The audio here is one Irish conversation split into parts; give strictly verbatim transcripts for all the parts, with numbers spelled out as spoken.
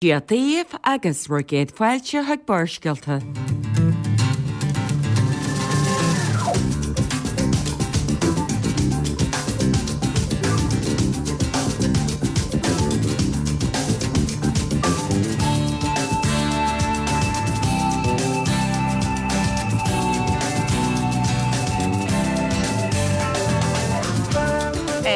Dia daoibh agus bhur gcéad fáilte chuig Barrscéalta.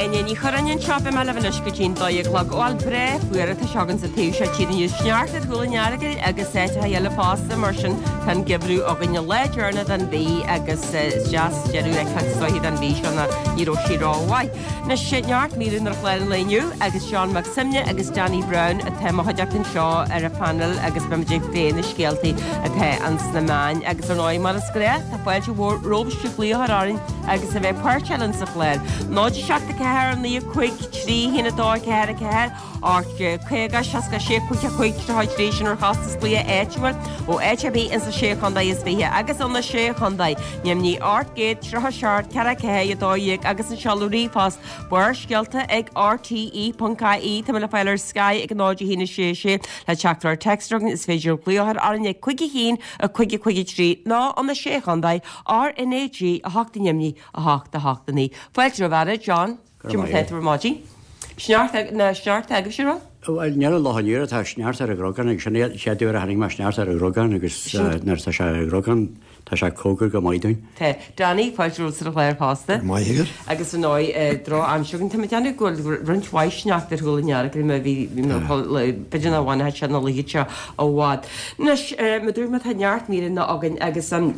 Áine Ní Churráin anseo, beidh mé libh anois go dtí'n dó a chlog. Bhuel, breá fuar atá sé againn sa taobh seo tíre inniu. Sneachta ar Chúil an Earagail agus áiteacha eile fosta, mar sin tá an geimhreadh againn an lá deireanach den mhí agus is deas deireadh a fheiceáil is dóiche don mhí seo ná ní raibh sí rómhaith. Anois, neart míreanna ar chlár an lae inniu agus Seán Mac Suibhne agus Danny Brown atá i mo chuideachta anseo ar an phainéal agus beimid ag plé na scéaltaí atá ins na meáin agus ar ndóigh mar is gnách tá fáilte mhór romhaibhse glaoch a chur orainn agus a bheith páirteach linn sa chlár. Náid a seacht a ceathair naoi a cúig trí haon a dó a ceathair a ceathair ocht caoga seasca sé cúig a cúig tríocha a trí sin ar chostas glaoch áitiúil ó áit ar bith ins na sé chontae is fiche agus ó na sé chontae neamhní ocht gcéad tríocha seacht ceathair ceathair a dó dhéag agus an seoladh ríomhphost Barrscéalta ag R T E ponc I E Tá mé le fáil ar Sky ag náid a haon a sé sé le teachtaireacht téacs a Is féidir glaoch a chur orainn ag cúig a haon a cúig a cúig a trí nó ó na sé chontae R N A G a hocht neamhní a hocht a hocht a naoi. Fáilte romhat a John. Cad é mar atá tú ar maidin. Sneachta na sneachta agaibhse an raibh? Bhuel níl an lá inniu tá sneachta ar an gcnocán agus sin é an chéad uair a chonaic mé sneachta ar an gcnocán agus nuair atá sé ar an gcnocán tá sé cóngar go maith dúinn. Tá. Danny, fáilte romhat ar an chlár fosta. Go maith agat. Agus ar ndóigh drochaimsir againn. Tá mé ag déanamh go bhfuil roinnt mhaith sneachta ar Chúil an Earagail má bhí b'fhéidir nach bhfanfadh sé ina luí anseo i bhfad. Anois, mar a dúirt mé tá neart míreanna againn agus an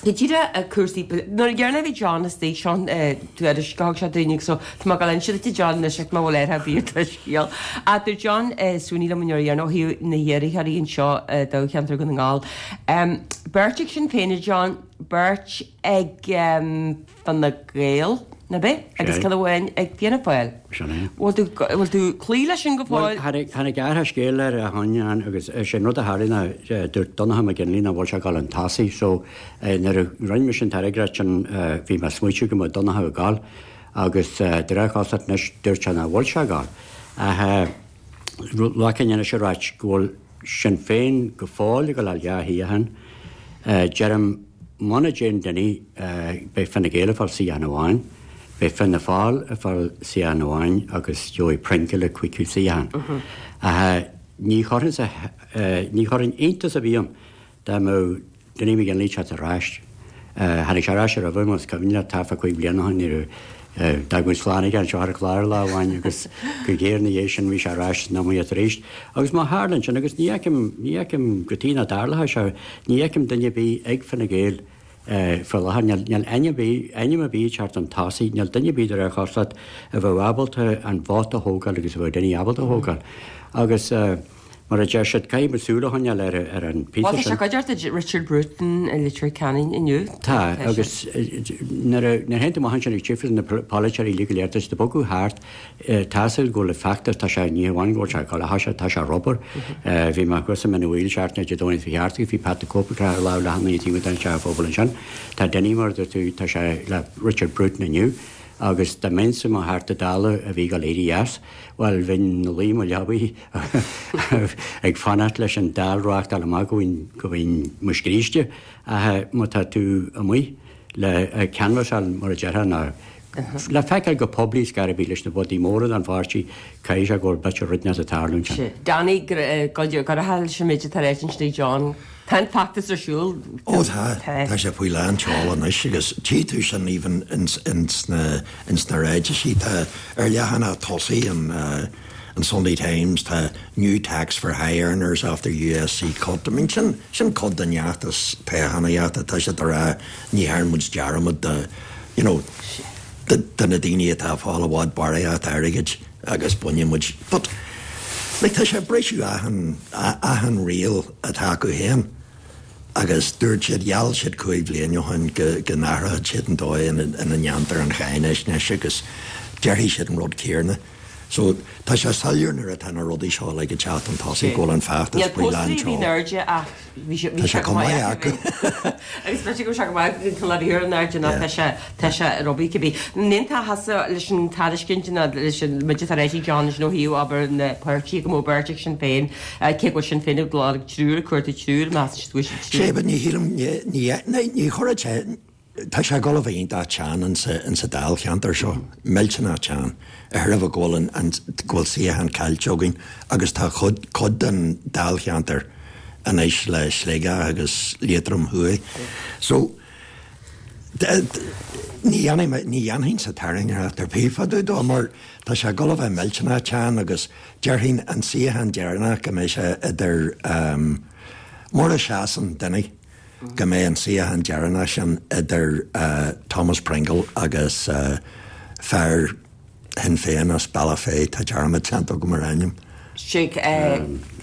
go díreach cúrsaí nuair a dheireanach a bhí John istigh seo tuairisc a thug sé dúinn agus so tá mé ag dul a inse duit a John anois ach má bhfuil air bhí do scéal. Ach dúirt John Sweeney liom an uair dheireanach ó thaobh na hiarrthóirí anseo i dtoghcheantar Dhún na nGall. Beirt ag Sinn Féin a John, beirt ag Fine Gael, nach ea? Agus ceann amháin ag Fianna Fáil. Sin é. Bhfuil tú bhfuil tú cloí leis sin go Bhuel, fóill? tháinig tháinig athrú scéil ar a shon ann agus is é an rud a tharla ná dúirt Donncha McGinley nach bhfuil sé ag dul chun tosaigh so nuair a rinne mise an tairngreacht sin bhí mé ag smaoitiú go mbeadh Donncha ag dul agus de réir cosúlachta anois dúirt sé nach bhfuil sé ag dul. Ach ghlacfainn anois a ráit go bhfuil Sinn Féin go fóill ag dul a fháil dhá shuíochán. Deirim, muna dtéann Dinny, beidh Fine Gael ag fáil suíochán amháin, beidh Fianna Fáil ag fáil suíochán amháin agus gheobhaidh Pringle an cúigiú suíochán. Ach ní chuirfinn, ní chuirfinn iontas ar bith orm dá mbeadh Dinny McGinley ag teacht ar ais. Tháinig sé ar ais roimhe, más cuimhin leat, thart fá cúig bliana ó shin nuair a d'fhág muid slán aige anseo ar an chlár lá amháin agus go géar ina dhiaidh sin bhí sé ar ais san iomaíocht arís. Agus má tharlaíonn sin, agus ní fheicim, ní fheicim cad chuige nach dtarlódh sé, ní fheicim duine ar bith ag Fine Gael faoi láthair, níl, níl ainm ar bith, ainm ar bith ag teacht chun tosaigh, níl duine ar bith de réir chosúlacht a bheadh ábalta an vóta a thógáil agus a bheadh Dinny ábalta a thógáil. Agus. Mar a deir siad, caithfidh muid súil a choinneáil ar ar an Bhuel, phíosa tá sé sin. cuid de Richard Bruton i Leitir Ceanainn inniu. Tá, agus nuair a nuair a théann tú amach ansin ag tífeas na polaiteoirí uilig go léir, tá siad ag bogadh thart, tá a fhios agat go bhfuil an feachtas, tá sé, ní hamháin go bhfuil sé ag dul, tá sé, tá sé ar obair. Bhí mé thuas i Mín an Mhaoil seachtain Dé Domhnaigh seo thart agus bhí Pat the Cope ag croitheadh lámh le hAnna Tí Mhadán Teach an Phobail ansin. Tá Dinny, mar a dúirt tú, tá sé le Richard Bruton inniu agus dá mbeinnse i mo Theachta Dála a bhí ag dul éirí as, bhuel, bheinn ina luí i mo leabaidh ag fanacht leis an Dáil reáchtáil amach go bhfaighinn, go bhfaighinn mo scríste. Ach má tá tú amuigh le canbhasáil, mar a déarfá, nó le feiceáil go poiblí scor ar bith leis na bodaí móra den pháirtí, caithfidh sé go bhfuil b'fhéidir rud inteacht ag tarlú ansin. Danny, go raibh leis an méid atá ráite ansin ag John. Tá an feachtas ar siúl. Ó tá, tá sé faoi lán tseoil anois agus tchí tú sin even ins ins na ins na ráitisí. Tá ar leathanach tosaigh an an Sunday Times tá new tax for high earners after U S C cut. I mean sin sin cuid den fheachtas toghchánaíochta. Tá siad ag rá ní dhearn muid dearmad de you know de de na daoine atá ag fáil i bhfad barraíocht airgid agus bainfidh muid but like tá sé ag briseadh achan achan riail atá acu féin agus dúirt siad, gheall siad cúig bhliain ó shin go go n-athródh siad an dóigh ina ina ndéantar an cháinaisnéis agus déarfaidh siad an rud céarna. So tá sé soiléir nuair atá na rudaí seo like ag teacht chun tosaigh go bhfuil an feachtas Níl faoi lán póstaerí bhí tseoil. airde ach bhí sé Tá sé chomh maith acu. Agus b'fhéidir go bhfuil sé go maith go bhfuil ar an airde ná tá sé tá sé ar obair cibé. N'aontófá thusa leis an tairiscint ná leis an muid tar éis John nó hiú abair na páirtí go mó beirt ag Sinn Féin eh, cé go bhfuil Sinn Féin ag lorg triúr cuartú triúr meas siad go bhfuil siad Sé triúr. but ní shílim ní ní ní chuirfeadh sé tá sé ag dul a bheith iontach teann in sa in sa dáilcheantar seo millteanach teann a thuirbh go bhfuil an an go bhfuil suíochán caillte againn agus tá cuid cuid den dáilcheantar anois le Sligeach agus Liatroim Thuaidh. So d- d- ní dhéanfaidh mé- ní dhéanfainn sa tairngreacht ar bith fá dtaobh dó mar tá sé ag dul a bheith millteanach teann agus déarfainn an suíochán deireanach go mbeidh sé idir um, mura seasann duine go mbeidh an suíochán deireanach sin idir uh, Thomas Pringle agus uh, fear Shinn Féin as Bealach Féich tá dearmad déanta agam ar a ainm. Sé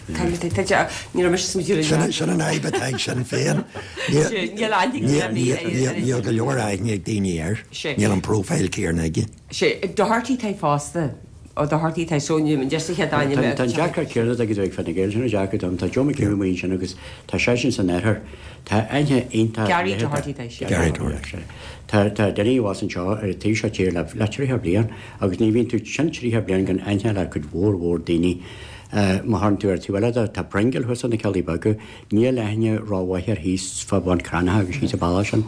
ní raibh mise Sin sin an fhadhb atá ag Sinn Féin. Níl aithne ag Níl níl- níl go leor aithne ag daoine air. Sé. Níl an profile céanna aige. Sé Doherty tá fosta ó Doherty tá sóne just chéad ainm Tá an deacracht céanna ag ag Fine Gael sin an deacracht dom tá Joe McHugh amuigh sin agus tá seisean san oirthear Tá aithne iontach Gary Doherty tá sé. Gary Doherty. Tá tá duine was anseo ar an taobh seo tíre le le tríocha bliain agus ní bhíonn tú sin tríocha bliain gan aithne le cuid mhór mhór daoine. Uh, má théann tú ar tú eile tá Pringle thuas na Ceallaí Beaga, níl aithne rómhaith air thíos fá Bhun Cranncha agus thíos a balla sin.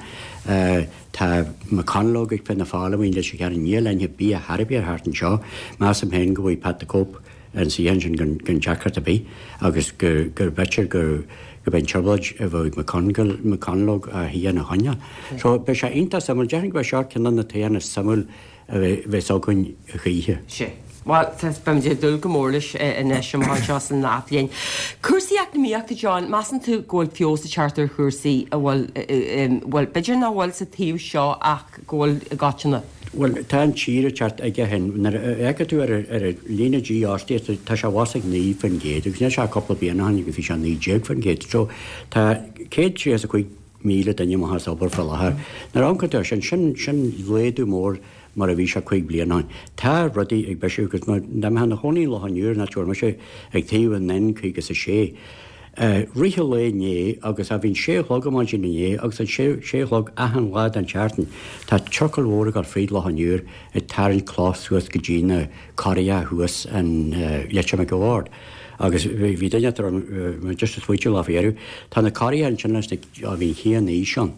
Uh, tá McConalogue ag Fianna Fáil amuigh leis cean níl aithne bia Harbí ar thart anseo, Measaim féin go bhfuil Pat the Cope an suíochán sin gan gan deacracht ar bith agus gur gur b'fhéidir gur go b'in trioblóid a bheidh McConalogue McConalogue a hí ina choinne. So beidh sé iontach suimiúil déarfainn go bheidh seo ceann de na toghcháin is suimiúla a bheith bheith againn a choíche. Sé. Well beimid ag dúil go mór leis anois amach anseo san athbhliain. Cúrsaí eacnamaíochta John, measann tú go bhfuil feabhas ag teacht ar chúrsaí a bhfuil bhfuil b'fhéidir nach bhfuil sa taobh seo ach go bhfuil i gcoitinne. Well tá an tír teart aige hin ag tú ar ar líne dífhostaíochta tá sé bhas ag naoi faoin gcéad agus níl sé cúpla bliain ó shin agus bhí sé naoi déag faoin gcéad so tá céad tríocha a cúig míle duine amach as obair faoi láthair. Nuair a amharcann tú sin sin sin laghdú mór mar a bhí sé cúig bliana ó shin. Tá rudaí ag bisiú agus mar dá mbeifeá i do chónaí i Loch an Iúir ná tuair sé ag taobh an N caoga is a sé. Uh, rith le inné agus a bhín sé chlog maidin inné agus an sé sé chlog achan lá den tseachtain Tá trucail mhóra ag dul fríd Loch an Iúir ag tarraingt cloch suas go dtí na carria thuas an uh, Leitir Mhic a' Bhaird. Agus bhí duine tar just a smaoitiú lá féú, Tá na carria ansin leis a bhí chéan aois ann.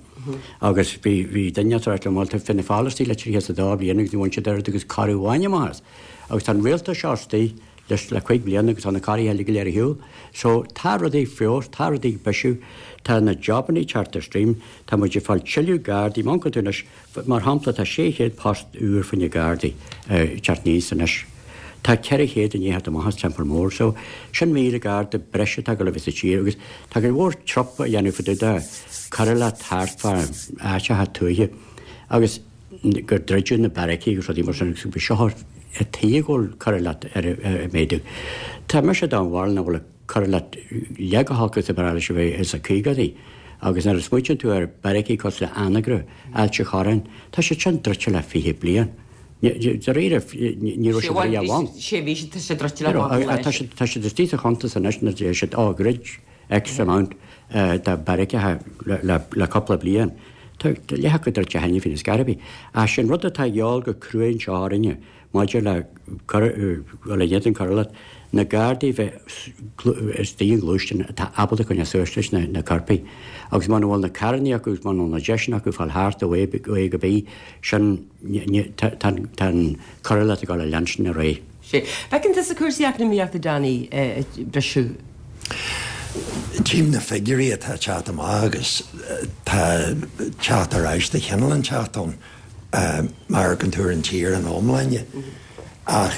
Agus bhí bhí duine tar le máil Fianna Fáil istigh le trí sa dá bliana agus bhain siad agus carr amháin amach. Agus tá an rialtas seo istigh leis le cuig bliana agus tá na carriacha eile go léir ar shiúl. So tá rudaí feos, tá rudaí bisiú, tá na jobanna teacht ar stream, tá muid ag fáil tuilleadh gardaí má tú anois mar shampla tá sé chéad post úr faoi na gardaí teacht aníos anois. Tá ceithre chéad i ndiaidh amach as Teampall Mór, so sin míle garda breise atá go le bheith sa tír agus tá go mhór trop a dhéanamh fá dtaobh de choireacht thart fá áiteacha tuaithe agus gur druideadh na beairicí agus rudaí mar sin agus bhí seo a tígóil choireacht ar a méadú. Tá mise den bharúil nach bhfuil coireacht leath chomh holc is a bhí a bheith is a caogaidí. Agus nuair a smaoitíonn tú ar beairicí cosúil le Anagaire, Ailt an Chorráin, tá sé sin druidte le fiche bliain. Dáiríre ní raibh sé riamh ann. Sé bhí sé sé druidte le Tá sé tá sé istigh sa chuntas anois na siad á dhruid X amount de beairicí le cúpla bliain. Tá leath acu druidte cheana féin is Garby. A sin rud atá gheall go cruinn seo orainne maidir le le dhéanann coireacht na gardaí bheith istigh i ngluaisteáin atá ábalta coinneáil suas leis na na coirpigh. Agus muna bhfuil na carranna acu agus muna bhfuil na deiseanna acu fáil thart ó A ó A go B sin tá an coireacht ag dul a leanstan ar aghaidh. Sé. Feiceann tusa cúrsaí eacnamaíochta Danny bisiú. Tchím na figiúirí atá teacht amach agus tá teacht ar ais de chineál inteacht ann mar go dtuair an tír an iomláine. Ach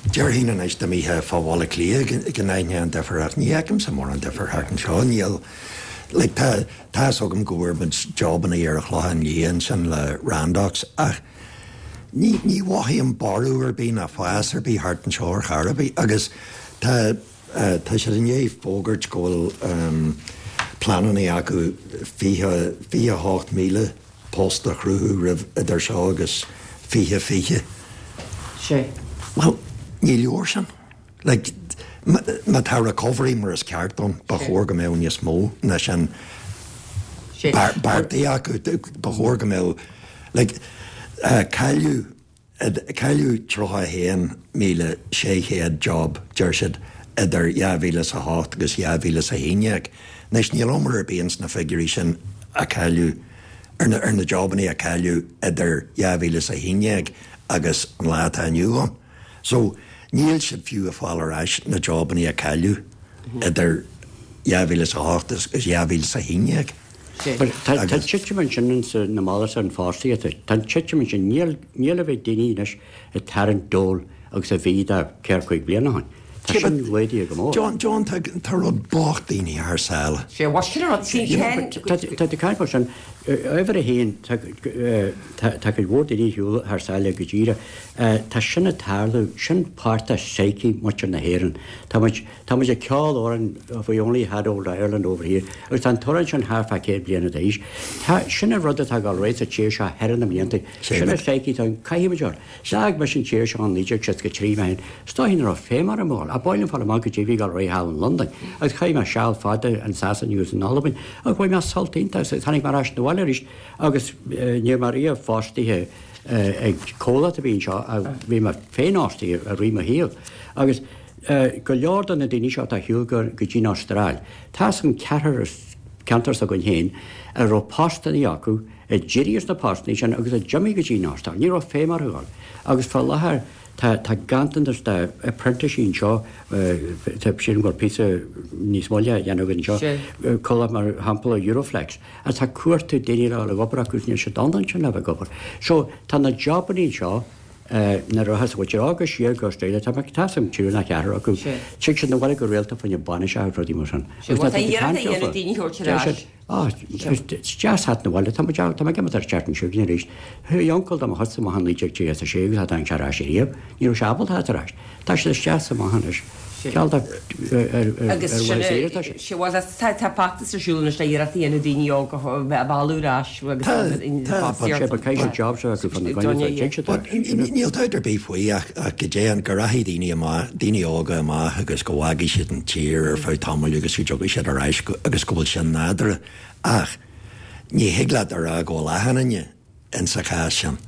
déarfainn anois dá mbeifeá fá Bhaile Átha Cliath go n-aithneofá an difear ach ní fheicimse mórán difear thart anseo níl like, tá tá agam go bhfuair muid jobanna ar an Chlochán Liath ansin le Randox ach ní ní mhothaím borradh ar bith ná fás ar bith thart anseo ar chor ar bith agus tá uh, tá siad i ndiaidh fógairt go bhfuil um, pleananna acu fiche fiche hocht míle post a chruthú roimh idir seo agus fiche fiche. Sé. Well, Ní leor sin. Like, má tá recovery mar is ceart ann, ba chóir go mbeadh níos mó ná sin beartaithe acu, ba chóir go mbeadh, like, cailleadh, cailleadh tríocha a haon míle sé chéad job, deir siad, idir dhá mhíle is a hocht agus dhá mhíle is a haon déag. Anois níl iomrá ar bith ins na figiúirí sin a cailleadh, ar na, ar na jobannaí a cailleadh idir dhá mhíle is a haon déag agus an lá atá inniu ann. So, níl siad fiú ag fáil ar ais na jobannaí a cailleadh idir dhá mhíle is a hocht agus dhá mhíle is a haon déag. Tá an titim ansin ins na mallacht an fostaíochta. Tá an titim ansin, níl, níl a bheith daoine anois ag tarraingt dole agus a bhí de ceithre cúig bliana ó shin. Tá sin laghdaithe go mór. John, John, tá, tá rud bocht daoine thar sáile. Sé, bhuel sin an rud, sin Ken. Tá, tá tú ag caint mar sin, uimhir a haon, tá, tá, tá cuid mhór daoine ar shiúl thar sáile go díreach. Tá sin ag tarlú, sin páirt de psyche muintir na hÉireann. Tá muid, tá muid ag ceol amhrán if we only had old Ireland over here agus tá an t-amhrán sin thart fá céad bliana d'aois. Tá, sin an rud atá ag dul ar aghaidh sa tír seo thar na mblianta. Sin an psyche atá ann, caithfidh muid dul. D'fhág mise an tír seo in naoi déag seasca trí mé féin, is dóigh nach raibh feidhm orm a dhul, ach b'áil liom fáil amach goidé a bhí ag dul ar aghaidh thall in Londain agus chaith mé seal fada in Sasain agus in Albain agus bhain mé sult iontach as agus tháinig mé ar ais 'na bhaile arís agus ní raibh mé riamh fostaithe ag comhlacht a bhí anseo ach bhí mé féinfhostaithe i rith mo shaoil agus go leor de na daoine seo atá ar shiúl go dtí an Astráil, tá san ceathrar as ceantar s'againn féin a raibh postannaí acu, a d'éirigh as na postannaí sin agus a d'imigh go dtí an Astráil. Ní raibh feidhm orthu dhul. Agus fá láthair tá tá ganntanas de apprenticesí anseo, tá sílim go bhfuil píosa níos moille á dhéanamh againn anseo, comhlacht mar shampla Euroflex, atá ag cuartú daoine le dhul ag obair acu agus níl siad ann ansin le bheith ag obair. So tá na jobannaí anseo, nuair a rachas muintir óga siar go Australia, tá mé tá sam triúr nó ceathrar acu, tig siad 'na bhaile go rialta fá choinne bainiseacha agus rudaí mar sin. Agus tá iarracht á dhéanamh daoine a thabhairt ar ais. Á, is deas theacht 'na bhaile, tá muid, tá mé ag imeacht ar an tseachtain seo chugainn arís. Chuaigh uncail de mo chuidse amach in naoi déag tríocha a sé agus cha dtáinig sé ar ais ariamh. Ní raibh sé ábalta theacht ar ais. Tá siad isteach is amach anois. Ceal de ar Agus sin mhaith saoire atá sé. Sea, bhuel, tá tá feachtas ar siúl anois le iarracht a dhéanamh daoine óga a bheith a mhealladh ar ais agus Tá, tá, but Sé, but caithfidh siad jobs a bheith acu fá na gcoinne, tá, tig siad ar ais. Níl dabht ar bith faoi ach ach go dtéann, go rachaidh daoine amach, daoine óga amach agus go bhfágfaidh siad an tír ar feadh tamaill agus go dtiocfaidh siad ar ais agus go bhfuil sin nádúrtha. Ach ní thig leat a rá go bhfuil achan duine insa chás sin,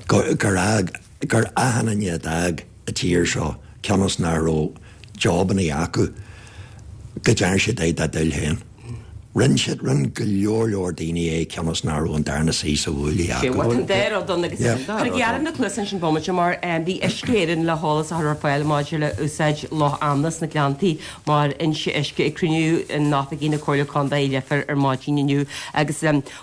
go, gur fhág, gur achan duine a d'fhág an tír seo cionn is nach raibh jobannaí acu, go dtearn siad é dá dtoil féin. Rinne siad, rinne go leor leor daoine é cionn is nach raibh an darna suí sa bhuaile Sé, acu. bhuel, tá an dá rud ann agus Yeah. cuir gearradh na cluasa ansin bomaite mar bhí Uisce Éireann le heolas a chur ar fáil maidir le úsáid Loch Anna sna Gleanntaí mar fhoinse uisce ag cruinniú in oifigí na Comhairle Contae i Leifear ar maidin inniu agus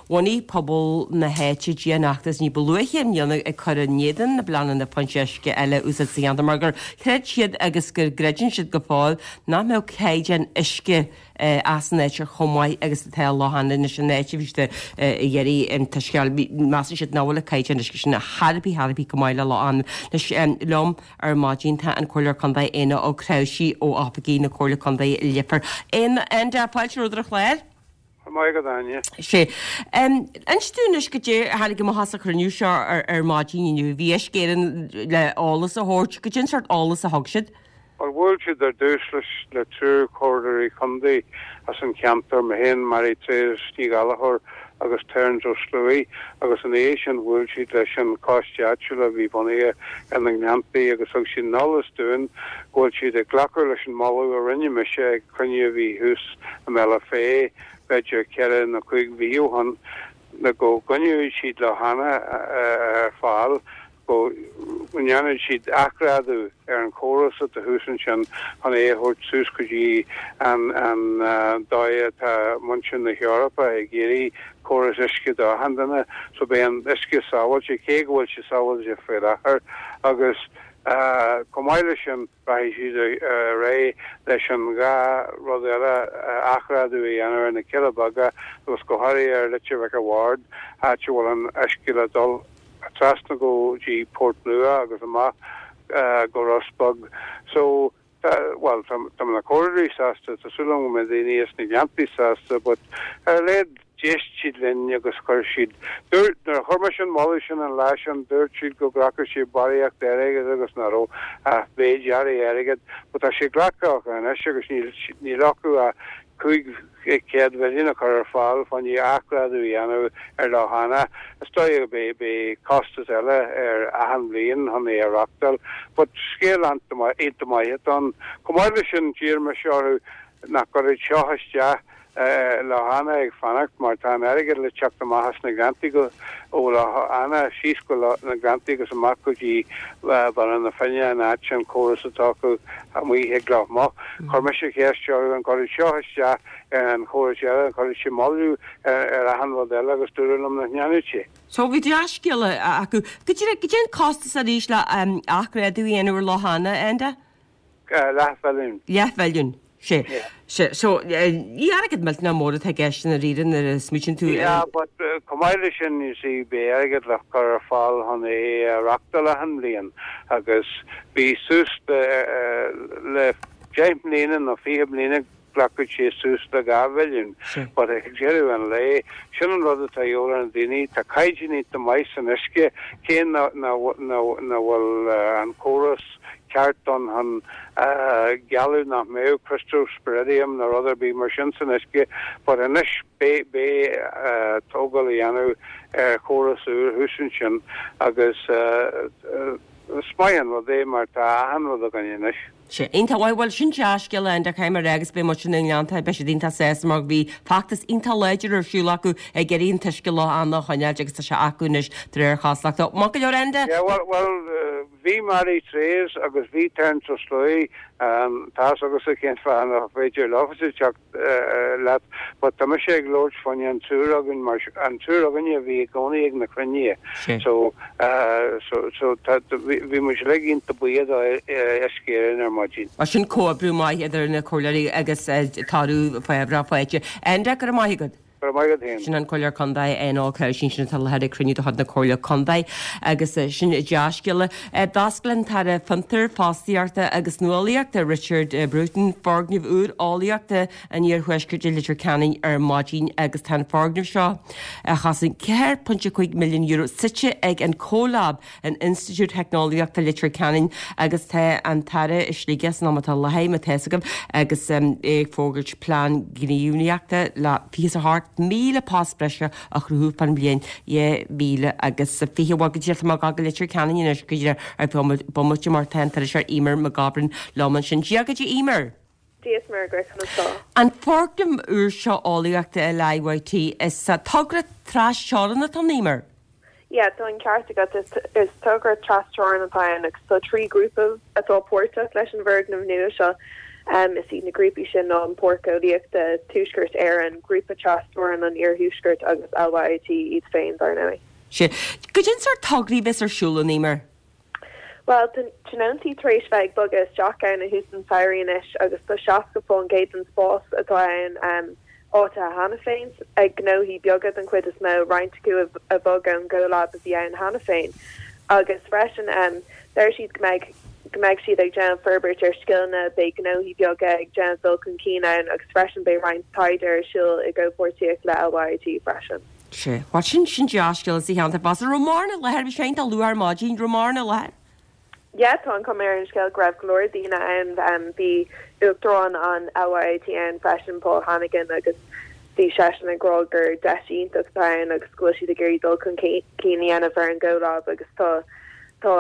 bhunaigh pobal na háite dianfheachtas ní ba luaithe i mbliana ag cur in éadan na bpleananna foinse uisce eile a úsáid sa cheantar mar gur chreid siad agus go gcreideann siad go fóill nach mbeadh caighdeán uisce as an áit ar chomh maith agus atá Loch Anna anois an áit a bhí siad ag iarraidh an t-uisce a fháil. Measann siad nach bhfuil an caighdeán uisce sin chor ar bith chor ar bith chomh maith le Loch Anna. Anois liom ar maidin tá an Comhairleoir Contae Éanna Ó Cnáimhsí ó oifigí na Comhairle Contae i Leifear. Éanna, fáilte romhat ar an chlár. Go raibh maith agat, Áine. Sé. Inis dúinn anois goidé a tháinig amach as an chruinniú seo ar ar maidin inniu. Bhí Uisce Éireann le eolas a thabhairt. Goidé an sórt eolas a thug siad? Bhuel, bhuail siad ar dtús leis le triúr comhairleoirí contae as an cheantar, mé féin, Mary Therese Ní Ghallchóir agus Terence Ó Sluaighe, agus ina dhiaidh sin bhuail siad leis an choiste áitiúil a bhí bunaithe ar na Gleanntaí agus thug siad an eolas dúinn go bhfuil siad ag glacadh leis an moladh a rinne mise ag cruinniú a bhí thuas i mBealach Féich b'fhéidir ceithre nó cúig mhí ó shin, le go gcoinneoidh siad Loch Anna ar fáil. go ndéanfaidh siad athghrádú ar an chóras atá thuas ansin chun é a thabhairt suas go dtí an dóigh atá muintir na hEorpa ag iarraidh córas uisce do achan duine. So beidh an uisce sábháilte, cé go bhfuil sé sábháilte faoi láthair agus chomh maith leis sin rachaidh siad ar aghaidh leis an dhá rud eile, athghrádú a dhéanamh ar na Cealla Beaga agus go háirithe ar Leitir Mhic a' Bhaird, áit a bhfuil an uisce le dul. trasna go dtí Port Nua agus amach go Ros Beag. So, tá, bhuel, tá, tá na comhairleoirí sásta, tá súil agam go mbeidh daoine as na Gleanntaí sásta, but ar a laghad D'éist siad linn agus chuir siad, dúirt, nuair a chuir mise an moladh sin an lá sin, dúirt siad go nglacfadh siad barraíocht airgid agus nach raibh ach méid áirithe airgid, but tá sé glactha acu anois agus níl, níl acu ach cúig chéad mhilliún a chur ar fáil fá choinne athghrádú a dhéanamh ar Loch Eanach. Is dóigh go beidh, beidh costas eile ar achan bhliain chun é a reachtáil, but scéal iontach maith atá ann. Chomh maith leis sin, d'iarr mise orthu nach gcuirfeadh seo isteach Loch Eanach ag fanacht mar tá an airgead le teacht amach as na Gleanntaí go ó Loch Eanach síos go na Gleanntaí agus amach go dtí Baile na Finne an áit sin córas atá acu amuigh ag Loch Muc. Chuir mise ceist orthu an gcuirfeadh seo isteach ar an chóras eile, an gcuirfeadh sé moilliú ar achan rud eile agus dúradh liom nach ndéanfadh sé. So bhí dea-scéala acu. Goidé an costas arís le athghrádú a dhéanamh ar Loch Eanach, Enda? Leathmhilliún. Leathmhilliún. Sé. Sé. So, ní airgead millteanach mór atá i gceist i ndáiríre nuair a smaoitíonn tú ar. Yeah, but chomh maith leis sin, you see, beidh airgead le cur ar fáil chun é a reachtáil achan bhliain agus bhí suas le, le deich mbliana nó fiche bliana glacfaidh sé suas le dhá mhilliún. But ag deireadh an lae, sin an rud atá a dhíobháil ar na daoine, tá caighdeán iontach maith san uisce, cé nach bhfuil an córas ceart ann chun gealladh nach mbeadh cryptosporidium nó rud ar bith mar sin san uisce, but anois beidh beidh tógáil a dhéanamh ar chóras úr thuas ansin agus is maith an rud é mar tá achan rud againn anois. Sea, iontach maith. Bhuel, sin dea-scéala, Enda, caithfidh mé a rá agus beidh muid na nGleannta, beidh siad iontach sásta mar bhí feachtas iontach láidir ar siúl acu ag iarraidh an t-uisce Loch Eanach a choinneáilt agus tá sé acu anois de réir cosúlachta. Maith go leor, Enda. Yeah, bhuel, bhuel, bhí Mary Treise agus bhí Terence Ó Sluaighe, tá's agatsa cén fáth nach féidir leofa teacht leat, but tá mise ag labhairt fá choinne an triúr againn mar an triúr againne a bhí i gcónaí ag na cruinnithe. So, so, so tá, bhí muid uilig iontach buíoch do Uisce Éireann ar maidin. Mar sin comhoibriú maith idir na comhairleoirí agus toradh faibhreach faighte. Enda, go raibh maith agat. Go raibh maith agat féin. Sin an Comhairleoir Contae Enda Ó Craoibhín sin atá i láthair ag cruinniú de chuid na Comhairle Contae agus sin dea-scéala. D'oscail an tAire Fiontar, Fostaíochta agus Nuálaíochta Richard Bruton foirgneamh úr eolaíochta an Iarthuaiscirt i Leitir Ceanainn ar maidin agus tá an foirgneamh seo, a chosain ceathair pointe cúig milliún euro, suite ag an CoLab in Institiúid Theicneolaíochta Leitir Ceanainn agus tá an tAire i Sligeach san am atá i láthair, má tá fhios agaibh, agus é ag fógairt plean gníomhaíochta le fiche is a hocht míle post breise a chruthú fán bhliain dhá mhíle agus fiche. Bhuel, go díreach tá mé ag gabháil go Leitir Ceanainn anois go díreach ar feadh bomaite mar tá an t-iriseoir Eimear McGovern liom ansin. Dia dhuit, a Eimear. Dia is Muire dhuit, conas tá? An foirgneamh úr seo eolaíochta i LIYT, is togra trasteorann atá ann, Eimear? Yeah, tá an ceart agat, is is togra trasteorann atá ann agus tá trí ghrúpa atá páirteach leis an bhfoirgneamh nua seo. Is iad na grúpaí sin ná an Páirc Eolaíochta Tuaisceart Éireann, Grúpa Trasteorann an Iarthuaiscirt agus LYIT iad féin, dar ndóigh. Sea. Goidé an sórt tograí a bheas ar siúl ann, Eimear? Bhuel, tá tionóntaí tar éis bheith ag bogadh isteach ann ó thús an tsamhraidh anois agus tá seasca fán gcéad den spás atá ann áitithe cheana féin, ag gnóthaí beaga den chuid is mó, roinnt acu a bhog ón gCoLab a bhí ann cheana féin. Agus freisin, deir siad go mbeidh go mbeidh siad ag déanamh forbairt ar scileanna, beidh gnóthaí beaga ag déanamh dul chun cinn ann agus freisin beidh roinnt taighde ar siúl i gcomhpháirtíocht le LYIT freisin. Sea, bhuel sin, sin dea-scéala sa cheantar fosta. Raibh mórán i láthair, bhí sé iontach luath ar maidin, raibh mórán i láthair? Yeah, tá an chuma ar an scéal go raibh go leor daoine ann. Bhí Uachtarán an LYIT ann freisin, Paul Hannigan, agus bhí seisean ag rá gur deis iontach atá ann agus go bhfuil siad ag iarraidh dul chun cinn a dhéanamh ar an gCoLab agus tá tá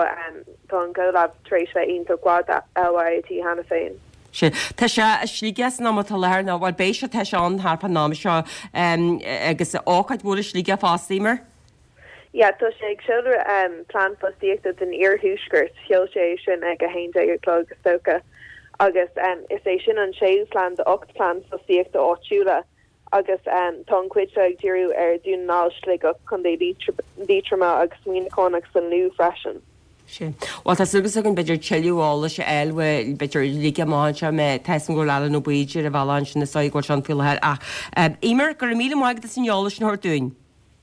tá an CoLab tar éis bheith iontach mhaith do LYIT cheana féin. Sea. Tá sé i Sligeach san am atá i láthair nó, bhuel, beidh sé, tá sé ann thart fán am seo agus ócáid mhór i Sligeach fosta, Eimear. Yeah, tá sé ag seoladh plean fostaíochta don iarthuaisceart, sheol sé é sin ag a haon déag a chlog is dócha, agus is é sin an séú plean de ocht plean fostaíochta áitiúla agus tá an chuid seo ag díriú ar Dhún na nGall, Sligeach, Contae Liatroma agus Muineachán agus an Lú freisin. Sea. Bhuel, tá súil againn b'fhéidir tuilleadh eolais a fháil uaidh, b'fhéidir ligfidh amach anseo mé, tá 'fhios agam go bhfuil Alan Ó Baoill ar an bhealach ansin is dóigh go bhfuil sé ann faoi láthair ach, Eimear, go raibh míle maith agat as an eolas sin a thabhairt dúinn.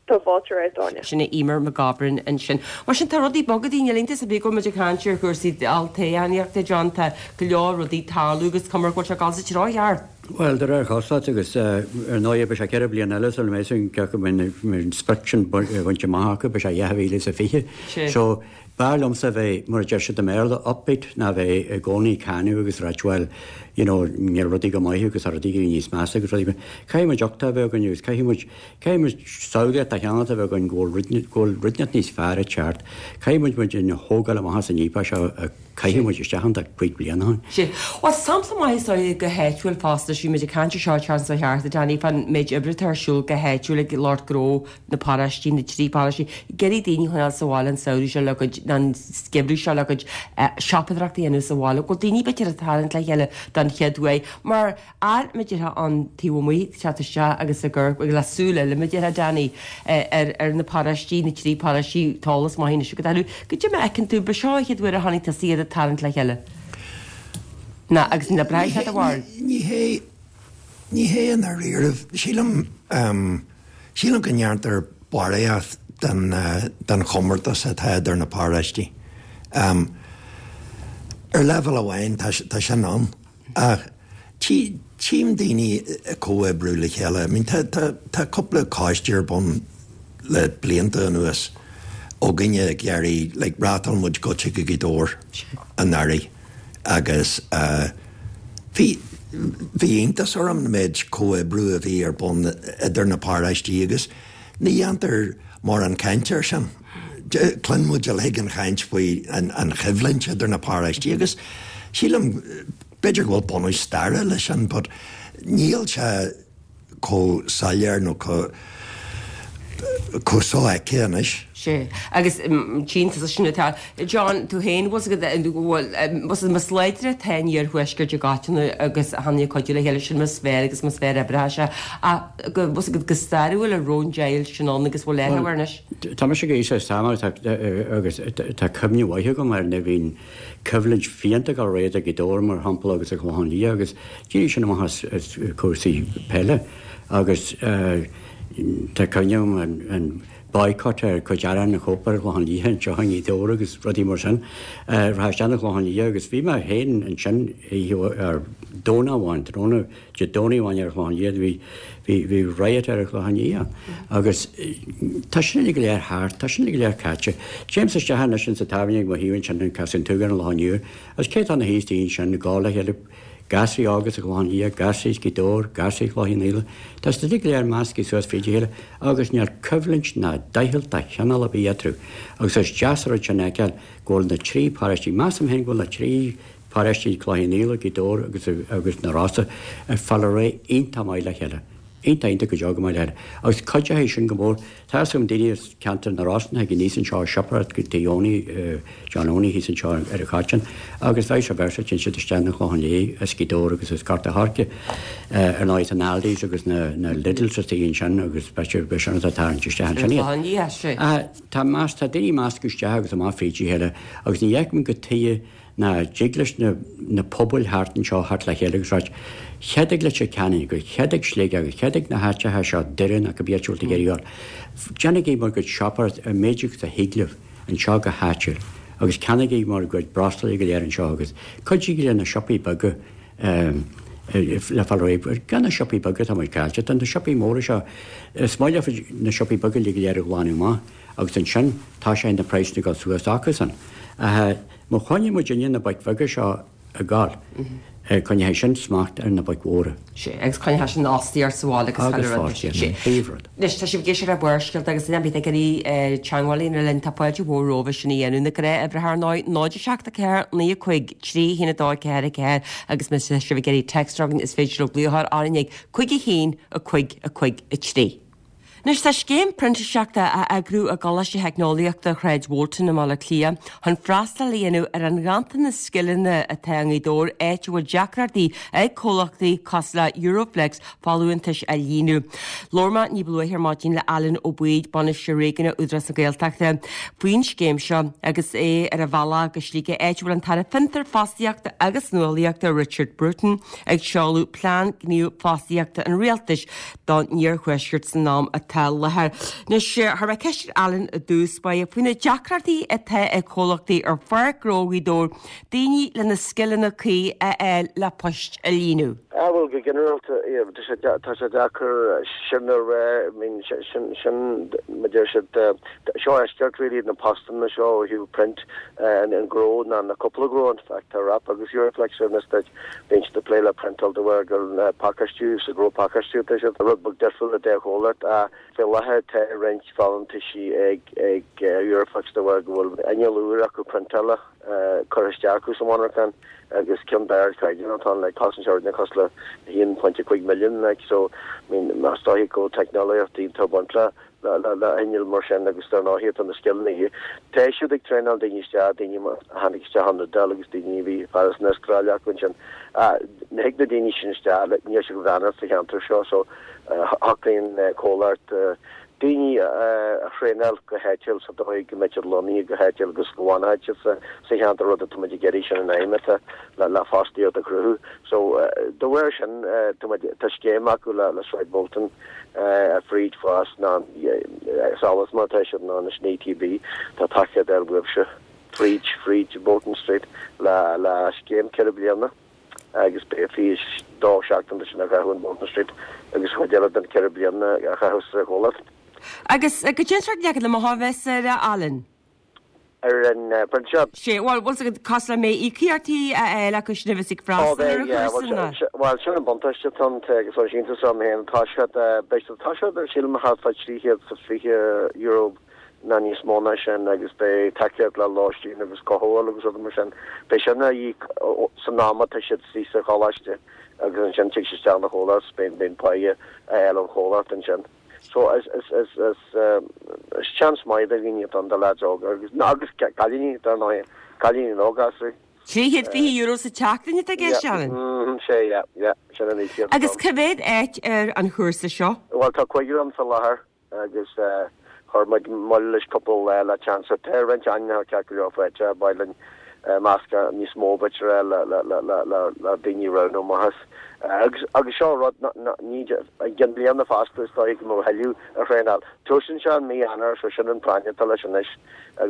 Tá fáilte romhat, Áine. Sin é Eimear McGovern ansin. Mar sin, tá rudaí ag bogadh, níl iontas ar bith go bhfuil muid ag caint ar chúrsaí olltoghchánaíochta, John, tá go leor rudaí ag tarlú agus cuma go bhfuil sé ag dul sa treo cheart. Bhuel, de réir cosúlachta agus ar ndóigh beidh sé ceithre bliana eile sula mbeidh san ceapadh go mbeidh an sprioc sin bainte amach acu, beidh sé dhá mhíle is a fiche. So, b'fhearr liomsa bheith, mar a deir siad i mBéarla, upbeat ná bheith i gcónaí ag cáineadh agus ráit bhuel, you know, níl rudaí go maith agus tá rudaí níos measa agus rudaí. Caithfidh muid uchtach a bheith againn agus caithfidh muid, caithfidh muid samhlaíocht a cheannacht a bheith againn go bhfuil go bhfuil rud inteacht níos fearr ag teacht. Caithfidh muid muid a thógáil amach as an fhaopach seo a caitheadh muid isteach ann tá cúig bliana ó shin. Sea. Bhuel, sampla maith is dóigh go háitiúil fosta, bhí muid ag caint ar seo an tseachtain seo thart, a Danny, fán méid oibre atá ar siúl go háitiúil ag lucht gnó na paróistí, na trí paróistí, ag iarraidh daoine a choinneáil sa bhaile an samhradh seo le cuid, an geimhreadh seo le cuid siopadóireachta a dhéanamh sa bhaile. Go bhfuil daoine b'fhéidir ag tarraingt le chéile don chéad uair mar fhear mar a déarfá an taobh amuigh ag teacht isteach agus ag amharc le súil eile mar a déarfá Danny ar ar na paróistí, na trí paróistí, tá eolas maith anois agat orthu. Goidé mar a fheiceann tú, ba seo an chéad uair a chonaic tusa iad ag tarraingt le chéile. Ná agus na breithe de bharr. Ní hé ní hé i ndáiríribh. Sílim sílim go ndéantar barraíocht den den chomórtas atá idir na paróistí. Ar leibhéal amháin tá tá sin ann ach tí tchím daoine ag comhoibriú le chéile. I mean tá tá tá cúpla coiste ar bun le blianta anuas againne ag iarraidh like reáchtáil muid Goitse go Gaoth Dobhair anuraidh agus bhí bhí iontas orm an méid comhoibriú a bhí ar bun idir na paróistí agus ní dhéantar mórán cainte air sin. Cluin muid uilig an chaint faoi an an choimhlint idir na paróistí agus sílim b'fhéidir go bhfuil bunús staire leis sin but níl sé chomh soiléir nó chomh chomh sofheicthe anois. Sea, agus tchíonn tusa sin atá. John, tú féin, bhfuil fhios agat, bhfuil, bhfuil más láidre atá an iarthuaisceart i gcoitinne agus a tháinig ag cuidiú le chéile sin más fearr agus más fearr oibreoidh sé ach go bhfuil fhios agat go stairiúil an raibh an deighilt sin ann agus bhfuil léiriú air anois. Tá mise go haois tamall agus tá cuimhne mhaith agam ar nuair a bhí an choimhlint fiánta ag dul ar aghaidh ag Gaoth Dobhair mar shampla agus ag Clochán Liath agus d'éirigh sin amach as as cúrsaí peile agus tá cuimhne agam an an boycott ar cuid arán an Chóip ar Chlochán Liath anseo i nGaoth Dobhair agus rudaí mar sin. Rachaidh isteach na Clochán Liath agus bhí mé féin ansin oíche ar Domhnach amháin, tráthnóna Dé Domhnaigh amháin ar Chlochán Liath bhí bhí bhí riot ar an Chlochán Liath agus tá sin uilig go léir thart, tá sin uilig go léir caite. Téimse isteach anois insa tábhairne ag mo thaobh ansin in Caisleán Tuathail an Loch Nua agus cé atá ina shuí istigh ansin ag gabháil le chéile gasraí óga sa Chlochán Liath, gasraí as Gaoth Dobhair, gasraí Chloich Cheann Fhaola. Tá siad uilig go léir measctha suas fríd a chéile agus níl coimhlint ná deighilt de chineál ar bith eatarthu. Agus is deas an rud sin a fheiceáil go bhfuil na trí paróistí, measaim féin go bhfuil na trí paróistí, Cloich Cheann Fhaola, Gaoth Dobhair agus agus na Rosa, ag fáil ar aghaidh iontach maith le chéile. Iontach iontach go deo go maith le chéile. Agus cuideoidh sin go mór. Tá fhios agam daoine as ceantar na Rosann a thig aníos anseo ag siopadóireacht go tigh Owenie, John Owenie thíos anseo ar an Choitín agus vice versa téann siad isteach na Clochán Liath as Gaoth Dobhair agus as Gort a' Choirce. Ar ndóigh tá na Aldis agus na na Lidls istigh ansin agus b'fhéidir b'é sin atá ag tarraingt isteach ansin iad. Clochán Liath, sea. Tá meas tá daoine measctha isteach agus amach fríd a chéile agus ní fheicim go tuighe ná dtig leis na na pobail thart anseo theacht le chéile agus ráit, cheadaigh Leitir Ceanainn agus cheadaigh Sligeach agus cheadaigh na háiteacha seo, Doire nó cibé áit a bhfuil tú ag iarraidh a ghabháil. Déanaigí bhur gcuid siopadóireacht an méid agus a thig libh anseo go háitiúil agus ceannaigí bhur gcuid breoslaí go léir anseo agus cuidigí le na siopaí beaga le fáil réidh. Gan na siopaí beaga tá muid caillte. Tá na siopaí móra seo, is maith leofa na siopaí beaga uilig go léir a ghlanadh amach agus ansin tá sé na praghsanna ag dul suas acusan. Má choinnigh muidinne na boic bheaga seo ag gabháil, coinneoidh sin smacht ar na boic mhóra. Sea, agus coinneoidh sin fostaíocht sa bhaile agus Agus chuile rud. fostaíocht, Sea. an príomhrud. Anois, tá sibh ag éisteacht le Barrscéalta agus duine ar bith ag iarraidh teagmháil a dhéanamh linn, tá fáilte mhór romhaibh sin a dhéanamh. Na gnáthuimhreacha ar ndóigh, náid a seacht a ceathair, naoi a cúig, trí a haon a dó a ceathair a ceathair agus má tá sibh ag iarraidh text a chur chugainn is féidir libh glaoch a chur orainn ag cúig a haon, a cúig, a cúig, a trí. Anois tá scéim printíseachta á eagrú i gColáiste Theicneolaíochta Shráid Bholton i mBaile Átha Cliath chun freastal a dhéanamh ar an ghanntanas scileanna atá i nGaoth Dobhair, áit a bhfuil deacrachtaí ag comhlachtaí cosúil le Euroflex folúntais a líonadh. Labhair mé ní ba luaithe ar maidin le Alan Ó Baoill, Bainisteoir Réigiúnach Údarás na Gaeltachta, faoin scéim seo agus é ar a bhealach go Sligeach áit a bhfuil an tAire Fiontar, Fostaíochta agus Nuálaíochta Richard Bruton ag seoladh Plean Gníomh Fostaíochta an Rialtais don Iarthuaisceart san am atá atá i láthair. Anois, chuir mé ceist ar Alan i dtús báire faoi na deacrachtaí atá ag comhlachtaí ar Pháirc Ghnó Ghaoth Dobhair daoine le na scileanna cuí a fháil le poist a líonadh. Ah bhuel go ginearálta tá sé tá sé deacair sin a rá I mean sin sin mar deir siad seo eisceacht really na postanna seo ó thaobh print an an gnó ná na cúpla gnó in fact tá Wrap agus Euroflex ar na Stáit bíonn siad ag plé le priontáil de bharr gur pacáistiú sa ghnó pacáistiú tá siad rud beag difriúil le deich chomhlacht ach fé láthair tá roinnt folúntaisí ag ag Euroflex de bharr go bhfuil inneall úr acu priontála curtha isteach acu sa mhonarchan agus ceann d'ardchaighdeán atá ann like cosaint sé cosúil le haon pointe cúig milliún like so I mean más dóigh go teicneolaíocht iontach baint le le le hinneall mar sin agus dar ndóigh tá na scileanna. Tá siad ag traenáil daoine isteach, daoine a tháinig isteach ón Iodáil agus daoine a bhí fear as an Astráil acu ansin. Ní thig na daoine sin isteach, like níl siad go bhfanacht sa cheantar seo so shocraíonn comhlacht daoine a thraenáil go háitiúil sa dóigh go mbeidh siad lonnaithe go háitiúil agus go bhfanfaidh siad sa sa cheantar rud atá muid ag iarraidh sin an aidhm atá le le fostaíocht a chruthú. So de bharr sin tá muid tá scéim acu le le Sráid Bolton fríd fás ná solas mar tá siad ná na ETB tá tacaíocht ar uaibhse fríd fríd Bolton Street le le scéim ceithre bliana agus beidh fiche dó seachtain sin a chaitheamh in Bolton Street agus chuid eile den ceithre bliana a chaitheamh sa chomhlacht. Agus goidé an sórt leagan amach a bheas air Alan? Ar an bprintíseacht? Sé, bhuel, bhfuil fhios agat cosúil le mbeidh íocaíochtaí a fháil acu sin a bheas ag freastal ar an chúrsa ná? Bhuel, sin an buntáiste atá ann agus tá sé iontach orm féin. Tá siad, beidh siad, tá siad sílim thart fá trí chéad is fiche euro ná níos mó ná sin agus beidh tacaíocht le lóistín agus cothabháil agus rudaí mar sin. Beidh sin á íoc san am atá siad istigh sa choláiste agus ansin tig siad isteach na chomhlacht, beidh beidh páighe a fháil ón chomhlacht ansin. So is is is is is chance maith do dhaoine atá ann do leaids óga agus agus cailíní dar ndóigh, cailíní nó gasúir. Trí chéad fiche euro sa tseachtain atá i gceist, Alan? Mm, sé, yeah, yeah, sin an íocaíocht. Agus cá mhéad áit ar an chúrsa seo? Bhuel tá cúigear ann sa láthair agus chuir muid moill leis cúpla lá le chance. Tá roinnt ainmneacha ceart go leor faighte, ba mhaith linn meascán níos mó b'fhéidir le le le le le le daoine a roghnú amach as. Agus agus seo rud ní i gceann bliana fosta is dóigh go mbeadh thuilleadh a thraenáil. Tosaíonn sé in mí Eanáir so sin an práinne atá leis anois.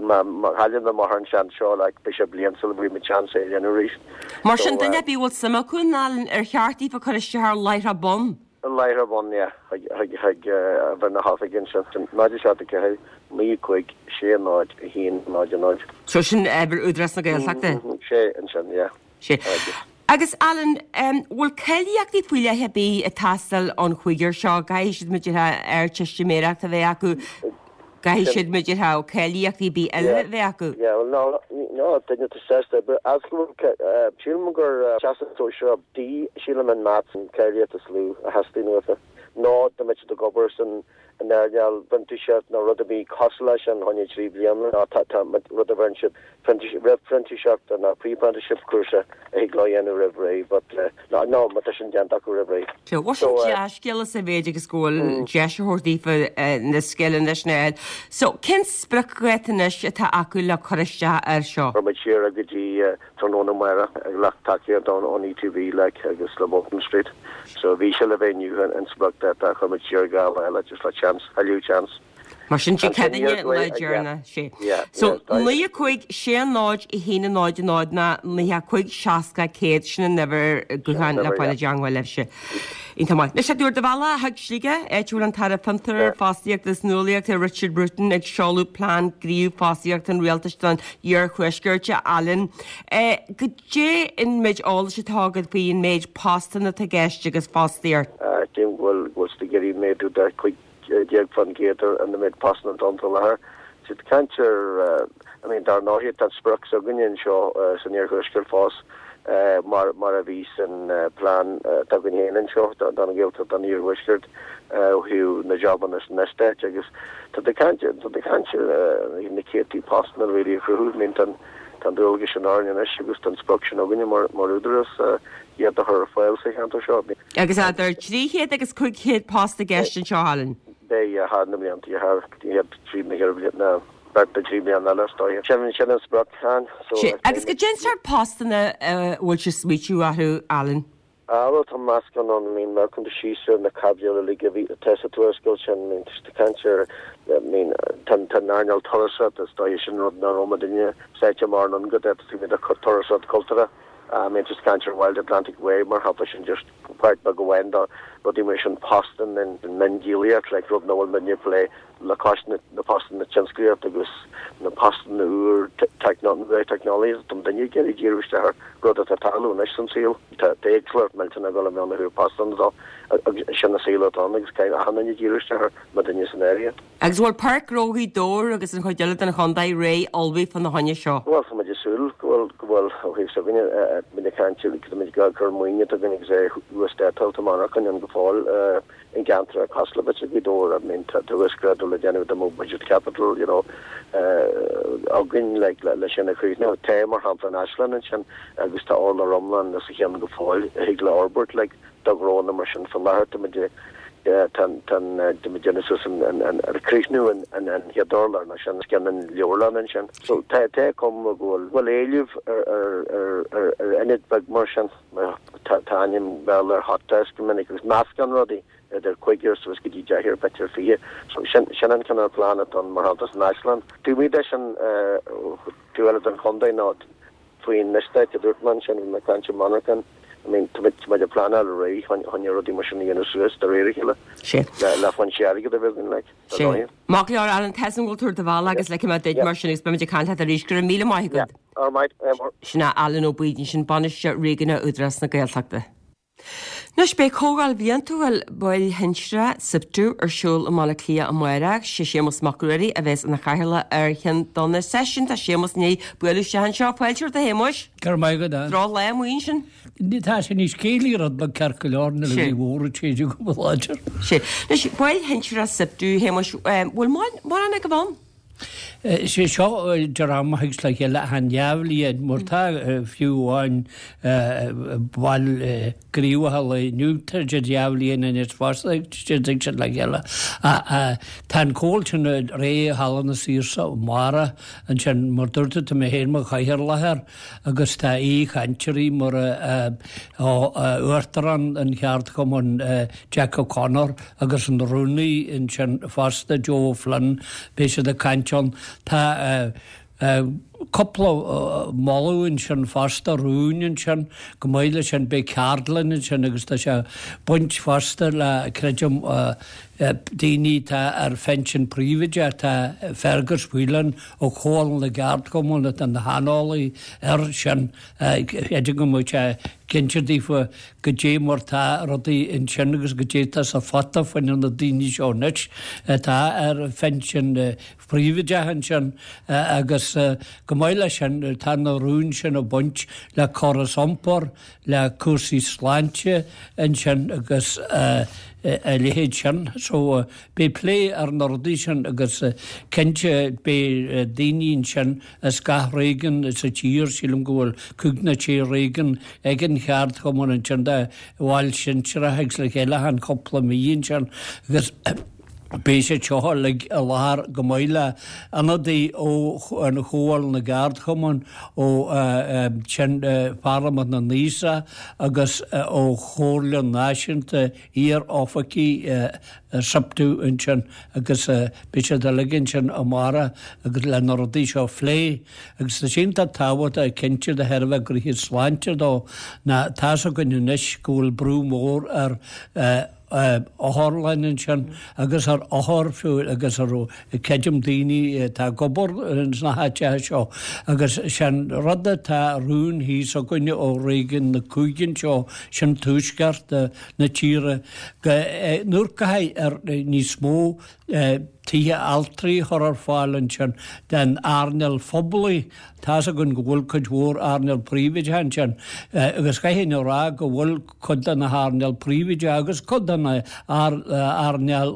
Má má chailleann amach an seans seo like beidh sé bliain sula bhfaighidh muid seans é a dhéanamh arís. Mar sin duine ar bith a bhfuil suim acu in Alan ar cheart daofa cur isteach ar láithreach bonn? Láithreach bonn, yeah, chuig chuig chuig uimhir na hoifige ansin. Náid a seacht a ceathair, naoi cúig, sé náid, a haon, náid a náid. So sin uimhir Údarás na Gaeltachta? Sé ansin, yeah. Sé. Agus Alan, bhfuil cáilíochtaí faoi leith ar bith ag teastáil ón chúigear seo? Caithfidh siad b'fhéidir Ardteistiméireacht a bheith acu, caithfidh siad b'fhéidir cáilíochtaí ar bith eile a bheith acu? Yeah, well no, no, duine atá sásta oibre, as go bhfuil, sílim gur Teastas Sóisearach D, sílim an Maths an cáilíocht is lú a theastaíonn uathu, nó dá mbeadh siad ag obair san in earnáil printíseacht nó rud a bhí cosúil leis sin choinne trí bliana nó tá tá rud a bheireann siad roimh phrintíseacht nó pre-apprenticeship cúrsa a thig leo a dhéanamh roimh ré but no no má tá sin déanta acu roimh ré. So bhuel sin dea-scéala sa mhéid agus go bhfuil deis á thabhairt daofa na scileanna sin a fháil. So cén spriocdháta anois atá acu le cur isteach air seo? Cuirfidh muid siar go dtí tráthnóna amárach ag lucht tacaíocht ón ETB like agus le Bolton Street. So bhí sé le bheith inniu an spriocdháta chuir muid siar dhá lá eile just le chance, thuilleadh chance. Mar sin Dé Céadaoine an lá deireanach, sé. So naoi a cúig sé náid a haon a náid a náid ná naoi a cúig seasca céad sin an uimhir gutháin le fáil i dteangmháil libhse. Iontach maith. Anois tú ar do bhealach chuig Sligeach, áit a bhfuil an tAire Fiontar, Fostaíochta agus Nuálaíochta Richard Bruton ag seoladh plean gníomh fostaíochta an Rialtais don Iarthuaisceart, a Alan. Goidé an méid eolais atá agat faoi an méid postanna atá i gceist agus fostaíocht? Tchím go bhfuil go bhfuil siad ag iarraidh méadú de cúig déag faoin gcéad ar an méid postanna atá ann faoi láthair. Tá siad ag caint ar, I mean, dar ndóigh tá an sprioc s'againne anseo san Iarthuaisceart fós mar mar a bhí san plean atá againn féin anseo don Ghaeltacht don Iarthuaisceart ó thaobh na jabanna san eastát agus tá siad ag caint tá siad ag caint ar na céadtaí postanna really a chruthú. I mean, tá an tá an dualgas sin orainn anois agus tá an sprioc sin againne mar mar údarás iad a chur ar fáil sa cheantar seo. Agus idir trí chéad agus cúig chéad post i gceist anseo, Alan? Beidh thar na blianta, thar chéad trí na ceithre na beirt nó trí bliana eile is dóigh. Sin sin an sprioc, Han. So, Sé, agus goidé an sórt postanna a bhfuil sibh ag smaoitiú orthu, Alan? Ah, bhuel, tá meascán ann, I mean, má amharcann tú síos ar na caibidil uilig a bhí, atá sa tuarascáil sin, I mean, tá siad ag caint ar, I mean, tá tá an earnáil turasóireachta, is dóigh sin rud nach raibh muidinne sáite mórán go dtí taobh amuigh de turasóireacht cultúrtha, I mean, tá siad ag caint ar Wild Atlantic Way, mar shampla, sin just páirt beag amháin de rudaí mar sin, postanna an mhiondíolaíocht, like, rud nach bhfuil muidne ag plé le cois na postanna tionsclaíochta agus na postanna úr teicneolaíochta, tá daoine ag iarraidh díriú isteach ar rud atá ag tarlú anois san saol. Tá éagsúlacht millteanach ag dul i mbun ó thaobh postanna dó agus sin an saol atá ann agus caithfidh achan duine díriú isteach air, muidinne san áireamh. Agus bhfuil Páirc Ghnó Ghaoth Dobhair agus an chuid eile den chontae réidh ullmhaithe fá na choinne seo? Bhuel, tá muid ag súil go bhfuil, go bhfuil, ó thaobh s'againne, muid ag caint, tá muid ag cur maoine atá againn agus é uasdátáilte monarchan ann go fóill. I gceantar cosúil le b'fhéidir Gaoth Dobhair, I mean tá uasghrádú le déanamh dá mbeadh budget capital, you know, againn like le sin a chríochnú. Tá mar shampla an Áislann ansin agus tá urlár iomlán os a chionn go fóill a thig le fhorbairt like do ghnónna mar sin. Faoi láthair tá muid tá tá tá muid déanamh suas an an an críochnú an an an chéad urlár nó sin os cionn an leabharlann ansin. So tá tá cuma go bhfuil bhfuil éileamh ar ar ar ar ar ionad beag mar sin. Tá tá ainm Béarla ar hot desk go minic agus meascán rudaí. idir cúigear suas go dtí deichniúr, b'fhéidir fiche. So sin, sin an cineál plean atá ann mar shampla san Áislann. Taobh amuigh de sin, taobh eile den chontae ná faoin eastát a dúirt mé ansin, bhí mé ag caint ar monarchan, I mean, tá muid, tá muid ag pleanáil ar aghaidh chun, chun rudaí mar sin a dhéanamh suas de réir a chéile Sé. le, le foinsí airgid a bheith againn, like, dar Sé. ndóigh. Maith go leor, Alan, tá a fhios agam go bhfuil tú ar do bhealach agus ligfidh mé duit Yeah. mar sin agus beimid ag caint leat arís. Go raibh míle maith Yeah. agat. All right, um, Sin é Alan Ó Baoidín, sin Bainisteoir Réigiúnach Údarás na Gaeltachta. Anois beidh comhdháil bhliantúil baill shinsearacha SIPTU ar siúl i mBaile Átha Cliath amárach. Sé Séamus Mac Ruairí a bheas ina chathaoirleach ar cheann de na seisiúin. Tá Séamus i ndiaidh bualadh isteach anseo. Fáilte romhat a Shéamuis. Go raibh maith agat. Drochlá amuigh ansin. Tá sé níos céillí rud beag ceart go leor nuair a Sé. bhí mhór ag séideadh go láidir. Sé. Anois baill shinsearacha SIPTU, Shéamuis, bhfuil mórán agaibh ann? Sé seo dream a thigeas le chéile achan dhá bhliain mar tá fiú amháin baill gníomhacha lae inniu tá siad dhá bhliain anois fosta siad ag siad le chéile. Tá an comhdháil sin réidh i Halla na Saoirse amárach ansin mar dúirt tú tá mé féin mar chathaoirleach air agus tá aoichainteoirí mar Uachtarán an Cheardchumainn Jack O'Connor agus an rúnaí ansin fosta Joe Flynn beidh siad ag caint ann. Tá cúpla moladh ansin fosta rún ansin chomh maith leis sin beidh ceardlann ansin agus tá sé baint fosta le creidim daoine atá ar phension príobháideach tá Fergus Whelan ó Chomhairle na gCeardchumann atá ina shaineolaí ar sin creidim go mbeidh sé cinnte daofa goidé mar tá rudaí ansin agus goidé tá sa phota fá choinne na daoine seo anois atá ar phension príobháideach ansin agus chomh maith leis sin tá na rúin sin ag baint le córas iompair le cúrsaí sláinte ansin agus a leithéid sin. So beidh plé ar na rudaí sin agus cinnte beidh daoine ansin as gach réigiún sa tír sílim go bhfuil cúig nó sé réigiún ag an cheardchumann ansin de bhaill shinsearacha agus le chéile achan cúpla mí ansin agus beidh siad seo uilig i láthair chomh maith le ionadaí ó an Chomhairle na gCeardchumann ó sin Pharlaimint na nAosach agus ó Chomhairle Náisiúnta Iar-Oifigigh SIPTU ansin agus beidh siad uilig ansin amárach agus le na rudaí seo a phlé agus tá sé iontach tábhachtach cinnte de thairbhe gnoithe sláinte dó ná tá's againn anois go bhfuil brú mór ar otharlann ansin agus ar othair fiú agus ar creidim daoine atá ag obair sna háiteacha seo agus sin rud atá rún thíos againne ó réigiún na cúige anseo sin tuaisceart na tíre go nuair caithfidh ar níos mó tithe altraí a chur ar fáil ansin den earnáil phoiblí. Tá's againn go bhfuil cuid mhór earnáil príobháideach ansin agus caithfidh a rá go bhfuil cuid de na hearnáil príobháideach agus cuid de na earnáil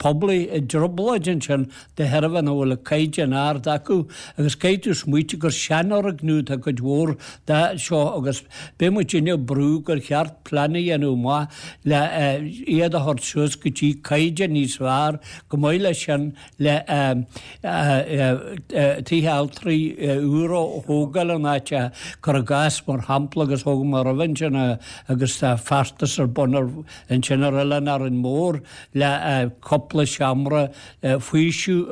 poiblí i dtrioblóid ansin de thairbhe nach bhfuil caighdeán ard acu agus caithfidh tú smaoitiú gur seanfhoirgneamh atá cuid mhór de seo agus beidh muid ag brú gur cheart plean a dhéanamh amach le iad a thabhairt suas go dtí caighdeán níos fearr Chomh maith leis sin le tithe altraí úra a thógáil in áit, cuir i gcás, mar shampla, agus thóg mé roimhe ansin agus tá feachtas ar bun ansin ar Oileán Árainn Mhór le cúpla seomra faoisimh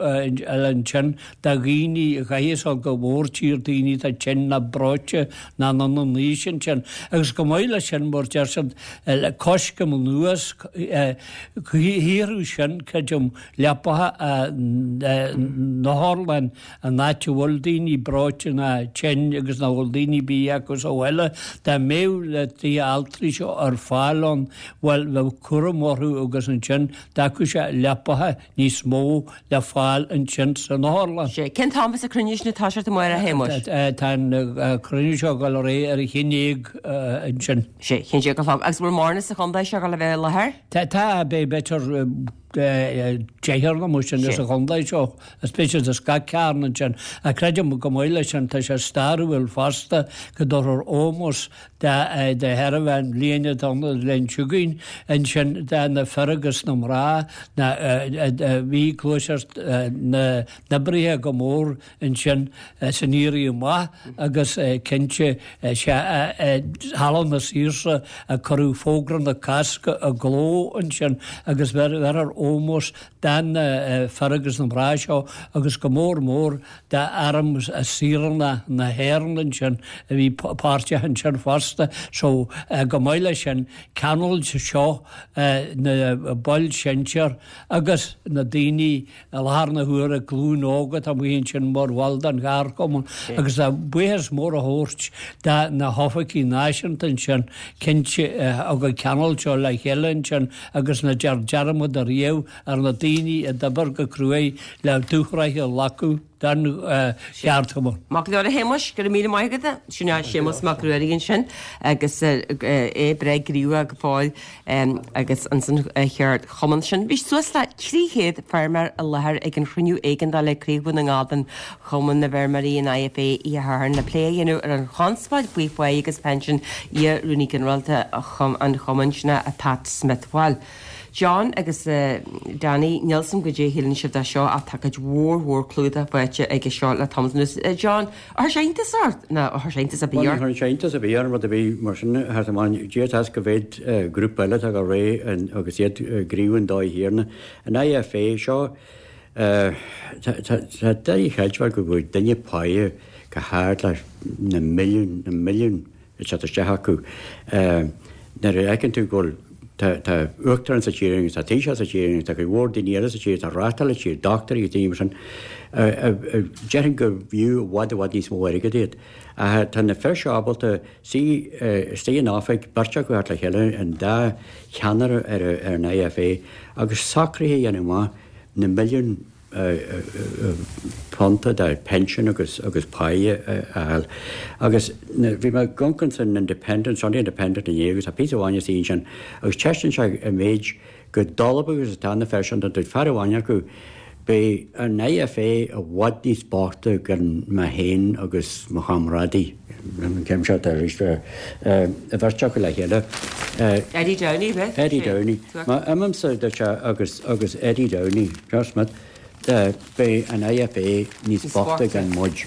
ansin do dhaoine a chaithfeas dul go mórtír, daoine atá tinn ná breoite ná anonn in aois ansin. Agus chomh maith leis sin, mar deir siad, le coiscéim anuas, shaothrú sin, creidim, leapacha na hotharlann an áit a bhfuil daoine breoite ná tinn agus nach bhfuil daoine bídh acu sa bhaile, dá mbeadh na tithe altraí seo ar fáil ann, bhuel, bheadh cúram orthu agus ansin d'fhágfadh sé leapacha níos mó le fáil ansin san otharlann. Sea. Cén t-am a bheas an cruinniú sin ag toiseacht amárach, a Shéamuis? Tá an cruinniú seo ag dul ar aghaidh ar a haon déag ansin. Sea, a haon déag a chlog. Agus bhfuil mórán sa chontae seo ag dul a bheith i láthair? Tá, tá, beidh b'fhéidir deichniúr nó mar sin sa chontae seo, is beidh siad as gach cearn ansin. Ach creidim chomh maith leis sin, tá sé stairiúil fosta go dtabharfar ómós de thairbhe an bhliain atá ann an bhliain seo chugainn ansin de na fir agus na mná a bhí gluaiseacht na n-oibrithe go mór ansin san Éirí Amach agus cinnte is ea i Halla na Saoirse a cuireadh fógra na Cásca i gcló ansin agus bheirfear ómós do na fir agus na mná seo agus go mór mór d'Arm Saoránach na hÉireann ansin a bhí páirteach ansin fosta. So chomh maith leis sin ceanglóidh seo na baill sinsir agus na daoine i láthair na huaire, glúin óg atá amuigh ansin mar bhaill den cheardchumann agus tá buíochas mór a thabhairt do na hoifigigh náisiúnta ansin cinnte a thug an ceangal seo le chéile ansin agus ná déanfar dearmad ariamh ar na daoine a d'oibir go cruaidh le dúshraith a leagadh don cheardchumann. Maith go leor a Shéamuis, go raibh míle maith agat. Sin é Séamus Mac Ruairí ansin agus é breá gníomhach go fóill agus ansan cheardchumann sin. Bhí suas le trí chéad feirmeoir i láthair ag an chruinniú éigeandála ag Craobh Dhún na nGall den Chumann na bhFeirmeoirí, an I F A, oíche Shathairn le plé a dhéanamh ar an chonspóid faoi phá agus pinsin iar-Rúnaí Ginearálta an chumainn sin, Pat Smith. Bhuel, John agus Danny, níl 's a'm goidé a shíleann sibh de seo ach tá cuid mhór mhór clúdach faighte aige seo le tamall anuas. John, ar chuir sé iontas ort? Nó ar chuir sé iontas ar bith ort? Bhuel, ní chuireann sé iontas ar bith orm rud ar bith mar sin thart amháin. Dia atá go mhéad grúpa eile atá go réidh agus iad gníomhach an dóigh chéanna. An I F A seo, tá doiligh a chreidbheáil go bhfuil duine páighe go hard leis na milliúin, na milliúin ag teacht isteach acu. Nuair a fheiceann tú go bhfuil Tá tá uachtarán sa tír agus tá taoiseach sa tír agus tá cuid mhór daoine eile sa tír atá ag reáchtáil an tír, dochtúirí agus daoine mar sin. Déarfainn gur bhfiú i bhfad i bhfad níos mó airgid iad. Ach tá na fir seo ábalta suí istigh in oifig, beirt acu thart le chéile, an dá cheannaire ar an I F A agus socruithe a dhéanamh amach na milliúin punta de pension agus agus páighe a fháil. Agus bhí mé ag amharc san Independent, Sunday Independent inné agus tá píosa amháin istigh ansin agus ceistíonn sé an méid go dolb agus atá na fir sin dúirt fear amháin acu beidh an I F A i bhfad níos boichte gan mé féin agus mo chomrádaí. An chéim seo arís an bheirt acu le chéile. Eddie Downey, bheith? Eddie Downey. Má imímse dúirt sé agus agus Eddie Downey, Josh Smith, beidh an I F A níos boichte gan muid.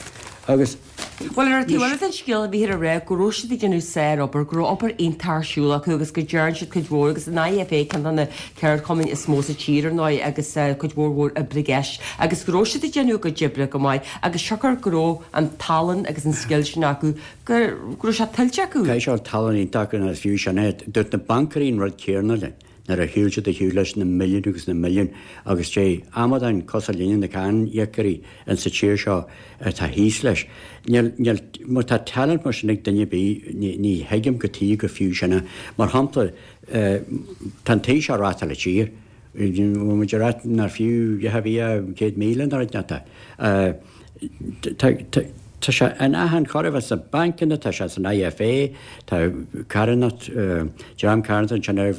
Agus Bhuel, ar an taobh eile den scéal a bhíthear a rá go raibh siad ag déanamh sárobair, go raibh obair iontach ar siúl acu agus go dtearn siad cuid mhór agus an I F A ceann de na ceardchumainn is mó sa tír ar ndóigh agus cuid mhór mhór oibre i gceist agus go raibh siad ag déanamh a gcuid oibre go maith agus siocair go raibh an tallann agus an scil sin acu go go raibh sé tuillte acu. Caithfidh sé tallann iontach agus fiú sin é, dúirt na bancairí an rud céanna linn nuair a shiúil siad a shiúl leis na milliúin agus na milliúin agus dé amadáin cosúil linne na cáiníocóirí in sa tír seo atá thíos leis. Níl níl má tá talent mar sin ag duine ar bith ní ní thuigim go tí go fiú sin é. Mar shampla tá an taoiseach ag reáchtáil an tír. Bhfuil muid ag rá nár fiú a bhí céad míle nó rud tá. Tá sé in achan chor a bheith sna bancanna, tá sé san I F A, tá carthanacht dream carthanach ansin ar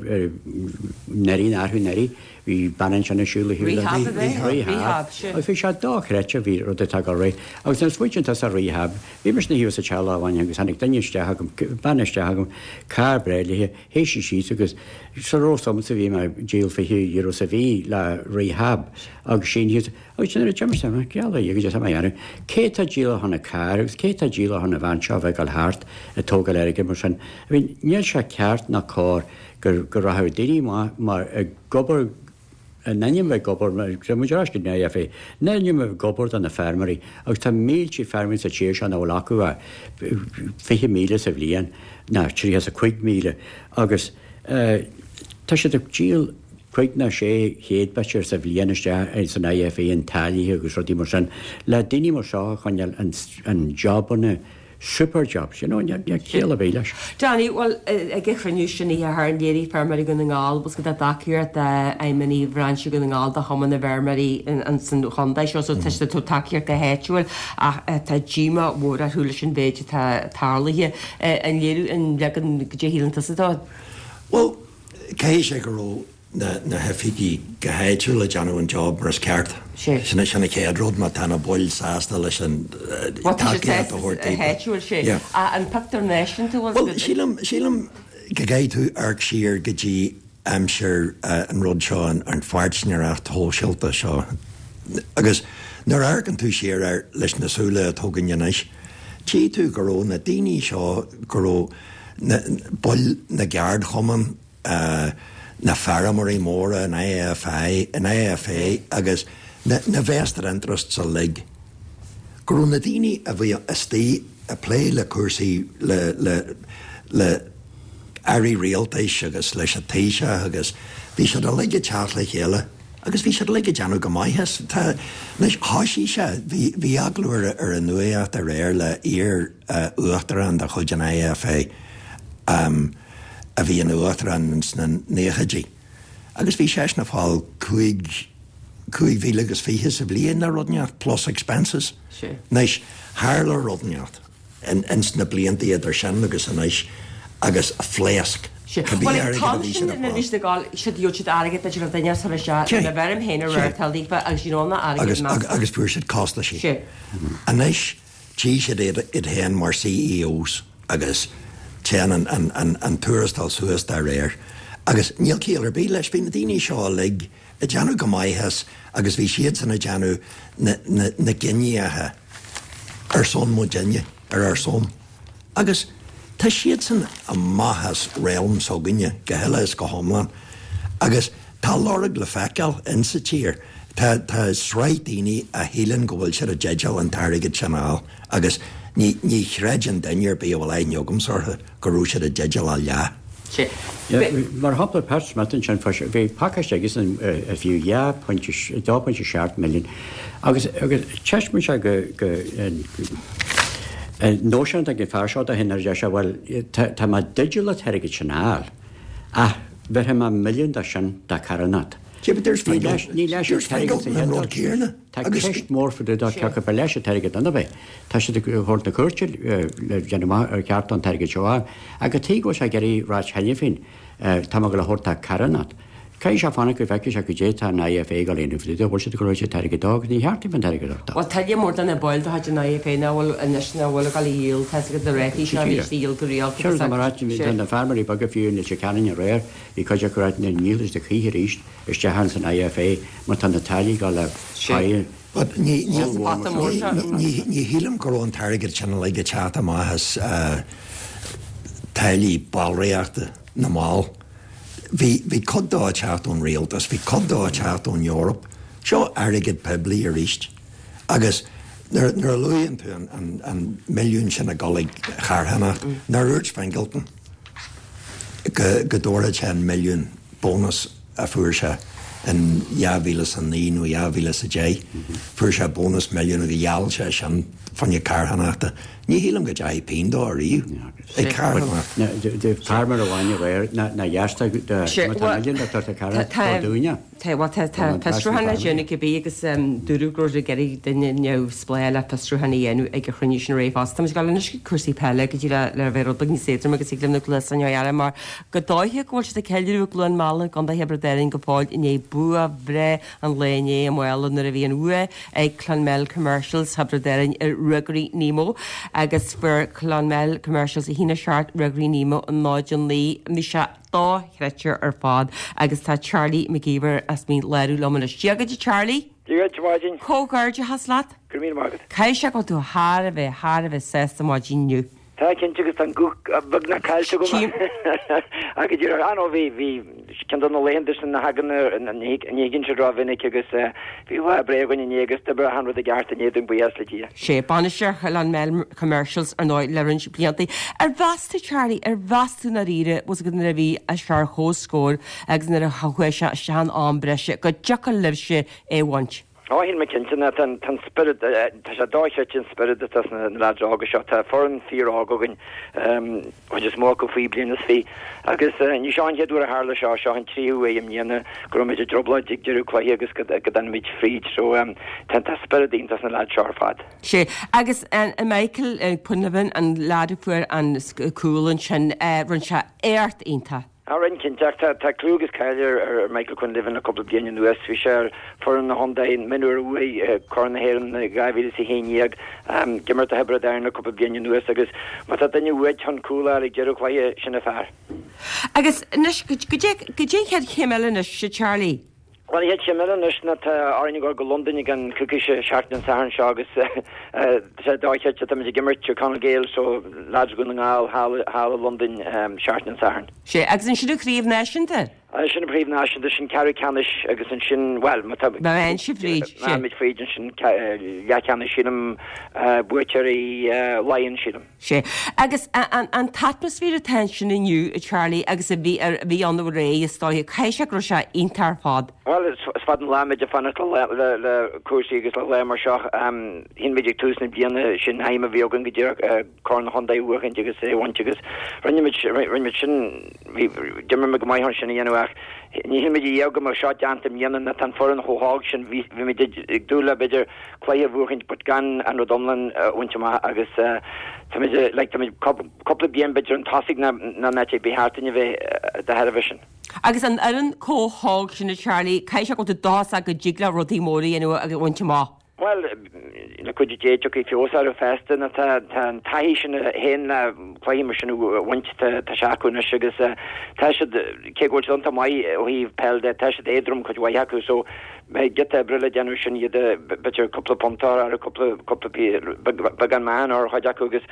neirí athrú neirí. Bhí Bhí bean ansin ag siúl a shiúl. Rehab a bheith? Rehab. Agus bhí sé dochreidte bhí rud atá go réidh. Agus nuair a smaoitíonn tusa ar rehab, bhí mise ina shuí sa teach lá amháin agus tháinig duine isteach agam, bean isteach agam, carr breá léi, shuigh sí síos agus sula raibh a fhios agamsa bhí mé ag díol fiche euro sa mhí le rehab agus sín thíos agus nuair a d'imigh sé, geall ar Dhia tá mé a dhéanamh, cé tá ag díol ar shon an carr agus cé tá ag díol ar shon an bhean seo a bheith ag dul thart ag tógáil airgid mar sin. I mean, níl sé ceart ná cóir go go rachadh daoine maith mar ag obair in ainm bheith ag obair, tá muid ar ais go dtí an IFA, in ainm bheith ag obair do na feirmeoirí agus tá mílte feirmeoirí sa tír seo nach bhfuil acu ach fiche míle sa bhliain ná tríocha is a cúig míle agus tá siad ag díol cúig ná sé chéad b'fhéidir sa bhliain isteach san IFA an táillí agus rudaí mar sin le daoine mar seo a choinneáil in jobanna super jobs, you know, níl ciall ar bith leis. Danny, bhuel, ag an chruinniú sin oíche Shathairn, léirigh feirmeoirí Dhún na nGall, bhfuil 's agat a dtacaíocht d'fheidhmeannaigh bhrainse Dhún na nGall do Chumann na bhFeirmeoirí san chontae seo, so tá siad ag tabhairt tacaíocht go háitiúil ach tá díomá mhór orthu leis an mhéid atá tarlaithe. An léiriú, an leagan, goidé a shíleann tusa dó? Bhuel, caithfidh sé go raibh na na hoifigigh go háitiúil ag déanamh an job mar is ceart. Sé. Sin sin an chéad rud má tá na baill sásta leis an Bhuel tá siad tacaíocht a sásta thabhairt daofa. háitiúil sé. Yeah. Ach an pictiúr náisiúnta bhfuil Bhuel sílim sílim go gcaithfidh tú amharc siar go dtí aimsir an rud seo an an pháirtnéireacht shóisialta seo agus nuair a amharcann tú siar air leis na súile atá againn anois tchí tú go raibh na daoine seo go raibh na baill na gceardchumann na feirmeoirí móra, an IFI, an IFA agus na na vested interests uilig, go raibh na daoine a bhí istigh ag plé le cúrsaí le le le airí rialtais agus leis an Taoiseach agus bhí siad uilig ag teacht le chéile agus bhí siad uilig ag déanamh go maith as. Tá, anois thoisigh sé, bhí bhí agallamh ar ar an nuacht aréir le iar uachtarán de chuid an IFA, a bhí ina uachtarán ins na naochaidí agus bhí seisean ag fáil cúig, cúig mhíle agus fiche sa bhliain nó rud inteacht plus expenses. Anois, tharla rud inteacht ins na blianta idir sin agus anois agus phléasc cibé Bhuel, an airgead a t-am bhí sin siad ag nuair a bhí fáil. siad ag gabháil, siad gheobhadh siad airgead b'fhéidir le duine tar isteach Sé, lena bhfeirm féin a sé. reáchtáil daofa agus you know na airgead Agus, measctha. agus fuair siad costaisí. Sé. Anois, Tchí siad iad féin mar CEOs agus téann an tuarastal suas dá réir. Agus níl ciall ar bith leis. Bhí na daoine seo uilig ag déanamh go maith as agus bhí siadsan ag déanamh na gcinntí ar son muidinne, ar ár son. Agus tá siadsan amach as realm s'againne go huile is go hiomlán. Agus tá a lorg le feiceáil insa tír. Tá tá sraith daoine a shíleann go bhfuil siad i dteideal an t-airgead sin a fháil agus ní ní chreideann duine ar bith a bhfuil aithne agamsa orthu go raibh siad i dteideal a leath. Sea. Mar shampla, Pat Smith ansin, bhí pacáiste aigesan a fiú dhá phointe, dó pointe seacht milliún agus agus taispeánann sé go go an nóisean atá ag an fear seo dó féin nuair a deir sé bhuel tá tá mé i dteideal an t-airgead sin a fháil ach bhéarfaidh mé milliún de sin do charthanacht. Sea, but dúirt Ní Fingal, leis ní leis an dúirt t-airgead Fingal sa an chéad rud dul síos. céanna Tá agus ceist mhór fá dtaobh de cé acu ba leis an t-airgead nó nár. Tá siad ag thabhairt na cúirte le déanamh amach ar cheart dó an t-airgead seo a fháil. Ach cad chuige go bhfuil sé ag iarraidh ráit cheana féin, tá mé ag dul a thabhairt do charthanacht. Caithfidh sé fanacht go bhfeicfidh sé goidé tá an IFA ag dul a dhéanamh fá dtaobh de, bhfuil siad ag dul a thabhairt an t-airgead dó agus ní cheart dóibh an t-airgead a thabhairt dó. Bhuel, tuilleadh mór de na baill de chuid an IFA nach bhfuil anois nach bhfuil ag dul a dhíol, tá 'fhios agat na rátaí seo a bhí siad a dhíol go rialta Sure, agus tá mar áit, tá na feirmeoirí beaga fiú in Leitir Ceanainn aréir, bhí cuid acu ag ráit ní dhíolfaidh siad choíche arís isteach ins an IFA mar tá na táillí ag dul le haghaidh But ní ní Sa phota mór seo. ní ní shílim go raibh an t-airgead sin uilig ag teacht amach as táillí ballraíochta na mball. Bhí, bhí cuid dó ag teacht ón rialtas, bhí cuid dó ag teacht ón Eoraip. Seo airgead poiblí arís. Agus nuair, nuair a luaíonn tú an, an, an milliún sin ag dul ag carthanacht, nár dhúirt Fingleton go, go dtabharfadh sé an milliún bónas a fuair sé in dhá mhíle is a naoi nó dhá mhíle is a deich, fuair sé bónas milliún agus gheall sé sin fá choinne carthanachta. Ní shílim go dteachaigh pingin dó ariamh ag carthanacht. Feirmeoir amháin aréir nár gheasta de má tá milliún le tabhairt do charthanacht do dúinne. Tá bhuel tá tá fiosrúchán le déanamh cibé agus dúradh go raibh siad ag iarraidh duine neamhspleách le fiosrúchán a dhéanamh ag an chruinniú sin aréir fosta. Tá muid ag dul anois chuig cúrsaí peile go dtí le le bheith rud beag níos éadroime agus ag léim na gcluasa inniu eile mar go dóiche go bhfuil siad ag ceiliúradh i gCluain Meala i gContae Thiobraid Árann go fóill i ndiaidh bua breá an lae inné i Maigh Eo nuair a bhí an bhua ag Clonmel Commercials Thiobraid Árann ar Ruagairí Nemo agus fuair Clonmel Commercials a haon a seacht Ruagairí Nemo a náid a naoi. Bhí sé dochreidte ar fad agus tá Charlie McGeever as Mín Lárach liom anois. Dia dhuit a Charlie! Dia dhuit a mhaidin. Comhghairdeachas leat. Go raibh míle maith agat. Caithfidh sé go bhfuil tú thar a bheith, thar a bheith sásta maidin inniu. Tá cinnte agus tá an guth beagnach caillte agam. Ach go díreach, ah no, bhí, bhí ceann de na laethanta sin a thagann, ní thagann siad rómhinic agus bhí lá breá againn inné agus d'oibrigh achan rud i gceart inné dúinn, buíochas le Dia. Sé bainisteoir Clonmel Commercials ar ndóigh le roinnt blianta. Ar mheas tú Charlie, ar mheas tú ndáiríre, bhfuil a fhios agat nuair a bhí sé ar comhscór agus nuair a chuaigh sé isteach in am breise go dtiocfadh libhse é a bhaint? Ó, shíl mé cinnte ná tá an spiorad, tá sé dochreidte an spiorad atá sna leaids óga seo. Tá foireann fíor-óg againn, chuid is mó acu faoi bliain is fiche. Agus ní seo an chéad uair a tharla seo, seo an tríú huair i mbliana go raibh muid i dtrioblóid ag deireadh cluiche agus go dtáinig muid fríd. So tá tá spiorad iontach sna leaids seo ar fad. Sea, agus Michael Quinlivan, an leaid a fuair an cúl ansin, rinne sé éacht iontach. Á rinne cinnte, ach tá tá clú agus cáil ar ar Michael Quinlivan le cúpla bliain anuas. Bhí sé ar foireann an chontae mionúir a bhuaigh Corn na hÉireann i dhá mhíle is a haon déag. Ag imirt do Thiobraid Árann le cúpla bliain anuas agus má tá duine uait chun cúl a fháil ag deireadh cluiche, sin an fear. Agus anois, goidé goidé an chéad chéim eile anois, a Charlie? Bhuel, an chéad chéim eile anois ná tá orainn a dhul go Londain i gceann coicíse, seachtain an Sathairn seo agus tá sé dochreidte, táimid ag imirt Tír Chonaill Gaels so lads Dhún na nGall thall thall i Londain seachtain an Sathairn. Sea, agus ansin an chraobh náisiúnta? Ansin an chraobh náisiúnta, sin ceathrú ceannais agus ansin, bhuel, má tá, Má théann sibh fríd, má théimid fríd ansin leathcheannais sílim, buaiteoirí Laighean sílim. Sea. Agus an t-atmaisféar atá ansin inniu, a Charlie, agus a bhí a bhí ann aréir, is dóiche, caithfidh sé go raibh sé iontach ar fad. Bhuel, is fada an lá muid ag fanacht le le cúrsaí agus le lá mar seo. Shíl muid ag tús na bliana sin aidhm a bhí againn go díreach Corn an Chontae a bhuachaint agus é a bhaint agus rinne muid rinne muid sin, bhí, d'imir muid go maith chun sin a dhéanamh ach ní shíl muid riamh go mbeadh seo déanta i mbliana nó tá an foireann chomh hóg sin, bhí bhí muid ag dúil le b'fhéidir cluiche a bhuachaint but gan an rud iomlán a bhaint amach agus táimid like táimid cúpla bliain b'fhéidir chun tosaigh ná ná an áit a ba cheart dúinn a bheith de thairbhe sin. Agus an fhoireann chomh hóg sin a Charlie, caithfidh sé go bhfuil tú dóchasach go dtig leo rudaí móra a dhéanamh agus a bhaint amach. Bhuel, le cuidiú Dé tiocfaidh feabhas orthu feasta nó tá tá an taithí sin a théann le cluichí mar sin a bhaint tá tá sé acu anois agus tá siad cé go bhfuil siad iontach maith ó thaobh peil de tá siad éadrom cuid mhaith acu so beidh giota oibre le déanamh sin iad a b'fhéidir cúpla punt a chur orthu cúpla cúpla beagán meáchain ar chuid acu agus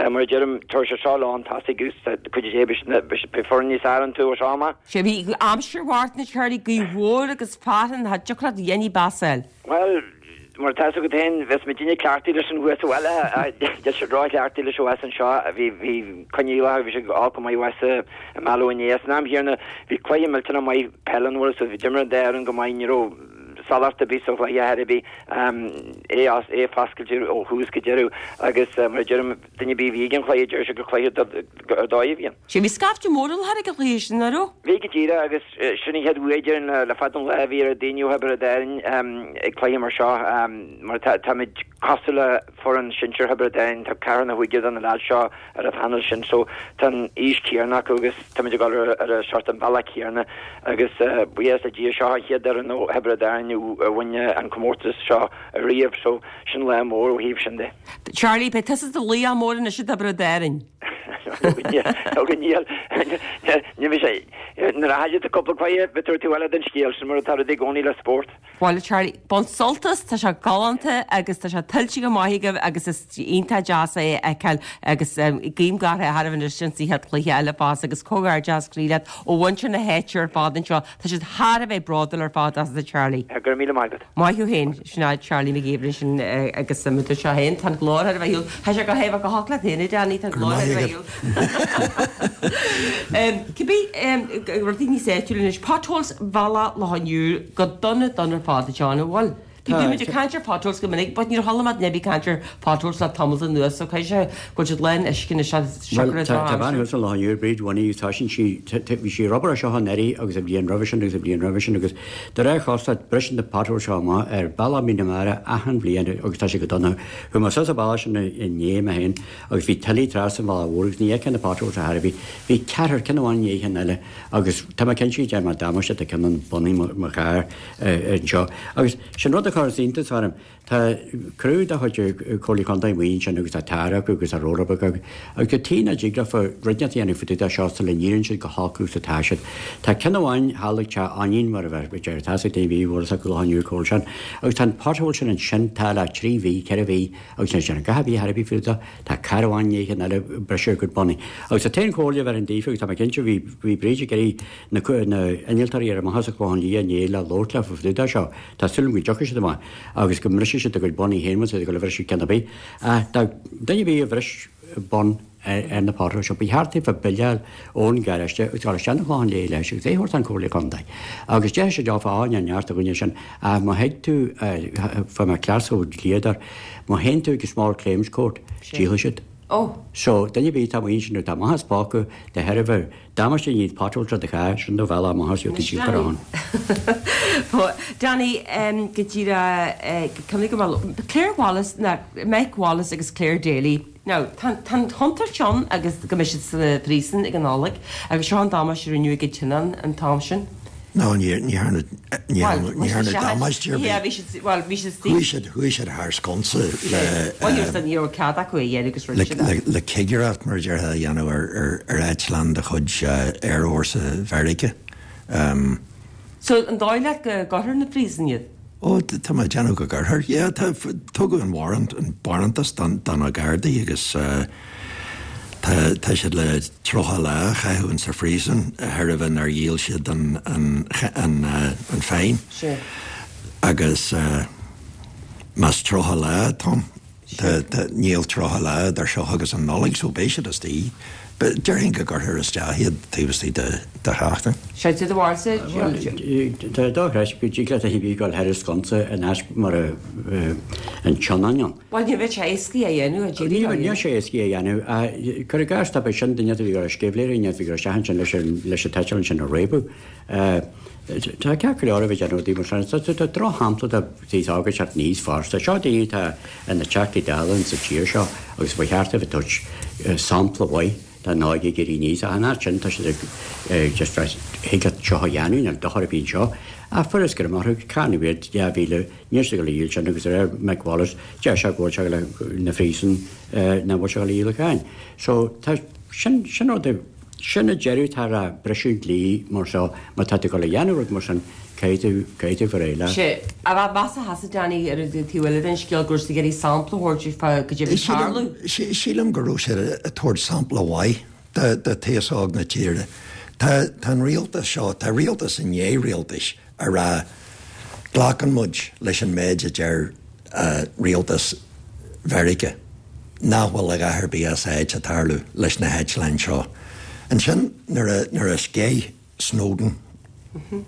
mar a deirim tabharfaidh sé seo leo chun tosaigh agus le cuidiú Dé beidh foireann níos fearr iontu ó seo amach. Sea bhí aimsir mharbh a Charlie gaoth mhór agus fearthainn cha dtiocfadh leat a dhéanamh bas fháil. Bhuel, mar atá fhios agat féin, bheas muidinne cleachtaithe leis an thuas sa bhaile, níl siad ró-chleachtaithe leis abhus anseo. Bhí, bhí coinníollacha, bhí sé olc go maith abhus i Mallow inné. San am chéanna, bhí cluiche millteanach maith peile ann, so bhí, d'imir an dá fhoireann go maith, ní raibh salach ar bith sa chluiche ar bith, é, é foscailte ó thús go deireadh agus mar a deirim, duine ar bith a bhí ag an chluiche, deir siad gur cluiche ar dóigh a bhí ann. Sea, bhí scaifte mór i láthair ag an chluiche sin, nach raibh? Bhí go díreach agus sin an chéad uair déarfainn le fada an lá a bhí oiread daoine ó Thiobraid Árann ag cluiche mar seo mar táimid cosúil le foireann sinsir Thiobraid Árann, tá ceathrar nó cúigear de na leaids seo ar an phainéal sin so tá an aois chéanna acu agus táimid ag dul ar an sórt an bealach céanna agus buíochas le Dia seo an chéad fhoireann ó Thiobraid Árann a bhain an comórtas seo ariamh so sin lá mór ó thaobh sin de. Charlie, beidh tusa i do laoch mór anois i dTiobraid Árann. Ó go níl, ní bheidh sé, nuair a chaillfidh tú cúpla cluiche, beidh tú ar eile den scéal, sin mar atá rudaí i gcónaí le spórt. Bhuel, Charlie, bain sult as, tá sé galánta agus tá sé tuillte go maith agaibh agus is iontach deas é a fheiceáil agus guím gach rath oraibh anois sa chéad chluiche eile fosta agus comhghairdeas croí leat ó mhuintir na háite ar fad anseo. Tá siad thar a bheith bródúil ar fad asat a Charlie. Go raibh míle maith agat. Maith thú féin, sin é Charlie Mac Gabhra ansin agus mar a dúirt sé féin, tá an glór thar a bheith Tá sé go haoibh go hocht leat féin, a Danny, tá an glór thar a bheith Cibé rudaí níos áitiúla anois, potholes Bhealach Loch an Iúir go dona dona ar fad, a John, an bhfuil? Bhí muid ag caint ar potholes go minic, but níor chuala mé duine ar bith ag caint ar potholes le tamall anuas, so caithfidh sé go bhfuil siad lán uisce anois siocair Bhuel, tá bean thuas an Loch Iúir, Bríd Winnie, tá sin sí, bhí sí ag obair air seo anuraidh agus an bhliain roimhe sin agus an bhliain roimhe sin agus de réir chosúlacht briseann na potholes seo amach ar bealach Mín na Mara achan bhliain agus tá sé go dona. Chuaigh mé suas an bealach sin inné mé féin agus bhí tuile trasna an bhealaigh mhór agus ní fheicfeá na potholes ar chor ar bith. Bhí ceathrar, ceann amháin i ndiaidh an eile agus tá mé cinnte go ndearna mé damáiste do ceann an bonnaí mo charr anseo. Agus sin rud a chuireann iontas orm, tá criú de chuid Comhairle Contae amuigh ansin agus tá tar acu agus tá roller acu agus cad chuige nach dtig leofa rud inteacht a dhéanamh fá dtaobh de seo sula n-éiríonn siad chomh holc agus atá siad. Tá ceann amháin thall ag Teach Ainnín mar a bheadh deir tá sa taobh bhí bhfuil acu lá inniu comhair sin agus tá an pothole sin ansin tá le trí mhí, ceithre mhí agus níl sin a dhath ar bith ar bith fá dtaobh de. Tá carr amháin i ndiaidh an eile ag briseadh a gcuid bonnaí. Agus an t-aon chomhairle a bhéarfainn daofa agus tá mé cinnte bhí bhí Bríd ag iarraidh na na innealtóirí ar amach as an Chlochán Liath inné le labhairt leofa fá dtaobh de seo. Tá súil agam go dtiocfaidh siad amach agus go mbrisfidh siad a gcuid bonnaí féin más ag dul a bhriseadh ceann ar bith. Ach dá duine ar bith a bhris bonn ar na potholes seo, ba cheart daofa bille a fháil ón garáiste agus dul isteach 'na Clochán Liath leis agus é a thabhairt don Chomhairle Contae. Agus déarfaidh siad leofa, á, níl neart againne sin. Ach má thig tú, fuair mé cleas ó dhlíodóir, má théann tú ag Small Claims Court, díolfaidh siad. Ó. So, duine ar bith atá amuigh ansin nó atá amach as póca de thairbhe damáiste a dhéanamh potholes ar do charr, sin do bhealach amach as tú síoltar ann. Danny, go díreach, cuimhnigh go bhfuil Clare Wallace, ná Mike Wallace agus Clare Daly. Now, tá an chontúirt ann agus go mbeidh siad sa phríosún ag an Nollaig agus seo an damáiste a rinneadh ag an tSionainn an t-am sin. No, ní dhearnadh damáiste ar bith. Bhuel, bhí siad Chuaigh siad chuaigh siad thar sconsa le Bhuel, ní raibh ní raibh cead acu é a dhéanamh agus rinne siad é. le cigireacht mar a déarfá a dhéanamh ar ar eitleán de chuid Aerfhórsa Mheiriceá. So, an dóigh leat go gcuirfear 'na phríosún iad? Ó, tá mé ag déanamh go gcuirfear. Yeah, tá, tugadh an warrant, an barántas don, do na Gardaí agus tá, tá siad le tríocha lá a chaitheamh in sa phríosún de thairbhe nár dhíol siad an, an, an, an fine. Sure. Agus más tríocha lá atá ann, tá, tá, níl tríocha lá idir seo agus an Nollaig so beidh siad istigh. Déarfainn go gcuirfear isteach iad taobh istigh de sheachtain. Sé do bharúilsa? Tá dochreidte go dtig leat a bheith ag dul thar an sconsa in áit mar a an tSionainn ann. Bhuel, ní bheadh sé éasca é a dhéanamh, a Ní bheadh sé éasca é a dhéanamh. Cuir i gcás, tá sin duine a bhí ag dul ar sceimhlitheoirí, a bhí ag dul isteach ansin leis an t-eitleán sin a réabadh. Tá ceart go leor a bheith ag déanamh rudaí mar sin. Tá drochshampla de aos óg ag teacht aníos fosta. Seo daoine atá ina dTeachtaí Dála sa tír seo agus ba cheart dóibh a thabhairt sampla mhaith don óige ag éirí aníos. Ach in áit sin tá siad ag just rá thig leat seo a dhéanamh, níl dochar ar bith anseo. Ach fuarthas greim orthu, cáineadh iad dhá mhíle, níl siad ag dul a dhíol sin agus de réir Mick Wallace deir sé go bhfuil sé ag dul na phríosún nach bhfuil sé ag dul a dhíol an cháin. So tá sin sin rud Sin an deireadh atá le briseadh dlí mar seo, má tá tú ag dul a dhéanamh rud mar sin, caithfidh tú, caithfidh tú bheith réidh leis. Sea, a bheith measartha sásta Danny ar an taobh eile den scéal go raibh siad ag iarraidh sampla a thabhairt fá goidé a bhí ag tarlú. Sílim go raibh siad ag tabhairt sampla mhaith do d'aos óg na tíre. Tá tá an rialtas seo, tá rialtas i ndiaidh rialtais ag rá glacann muid leis an méid a deir rialtas Mheiriceá nach bhfuil a dhath ar bith as áit ag tarlú leis na heitleáin seo. Ansin nuair a nuair a sceith Snowden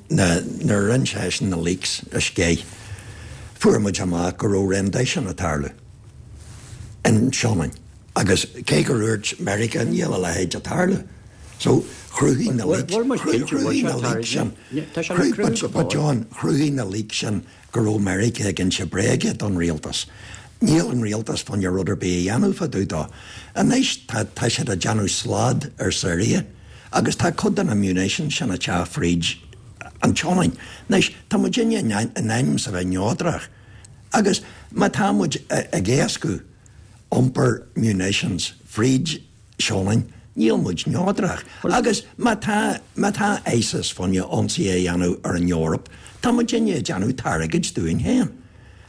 na nuair a rinne seisean na leaks a sceith fuair muid amach go raibh rendition ag tarlú in Sionainn agus cé gur dhúirt Meiriceá níl a leithéid ag tarlú so chruthaigh na leaks chruthaigh na leaks sin but John chruthaigh na leaks sin go raibh Meiriceá ag inse bréige don rialtas. Níl an rialtas fá choinne rud ar bith a dhéanamh fá dtaobh dó. Anois tá tá siad ag déanamh slad ar Syria agus tá cuid de na munitions sin ag teacht fríd an tSionainn. Anois tá muidinne in ainm is a bheith neodrach agus má tá muid ag éascú iompar munitions fríd Sionainn, níl muid neodrach. Agus má tá, má tá ISIS fá choinne ionsaí a dhéanamh ar an Eoraip, tá muidinne ag déanamh targaid dúinn féin.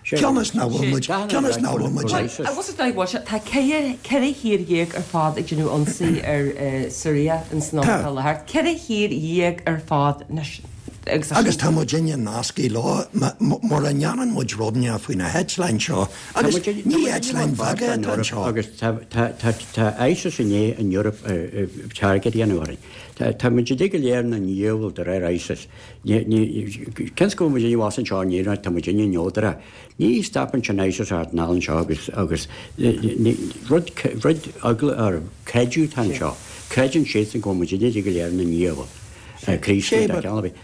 Cionn is nach bhfuil muid, cionn is nach bhfuil muid. Bhuel, agus is dóigh go bhfuil sé, tá ceithre, ceithre thír dhéag ar fad ag déanamh ionsaí ar Syria in san am atá i láthair. Ceithre thír dhéag ar fad anois. agus Agus tá muidinne nasctha leo mura ndéanann muid rud inteacht faoi na heitleáin seo agus ní eitleáin bheaga atá anseo. Agus tá ISIS i ndiaidh an Eoraip target a dhéanamh orainn. Tá muid uilig go léir ina ndiabhal de réir ISIS. Cén go bhfuil muid abhus anseo in Éirinn tá muidinne neodrach. Ní stopann sin ISIS thart anall anseo agus agus rud rud eagla ar creideamh atá anseo. Creideann siadsan go bhfuil muid uilig go léir ina ndiabhal. Críostaí tá ceann ar bith.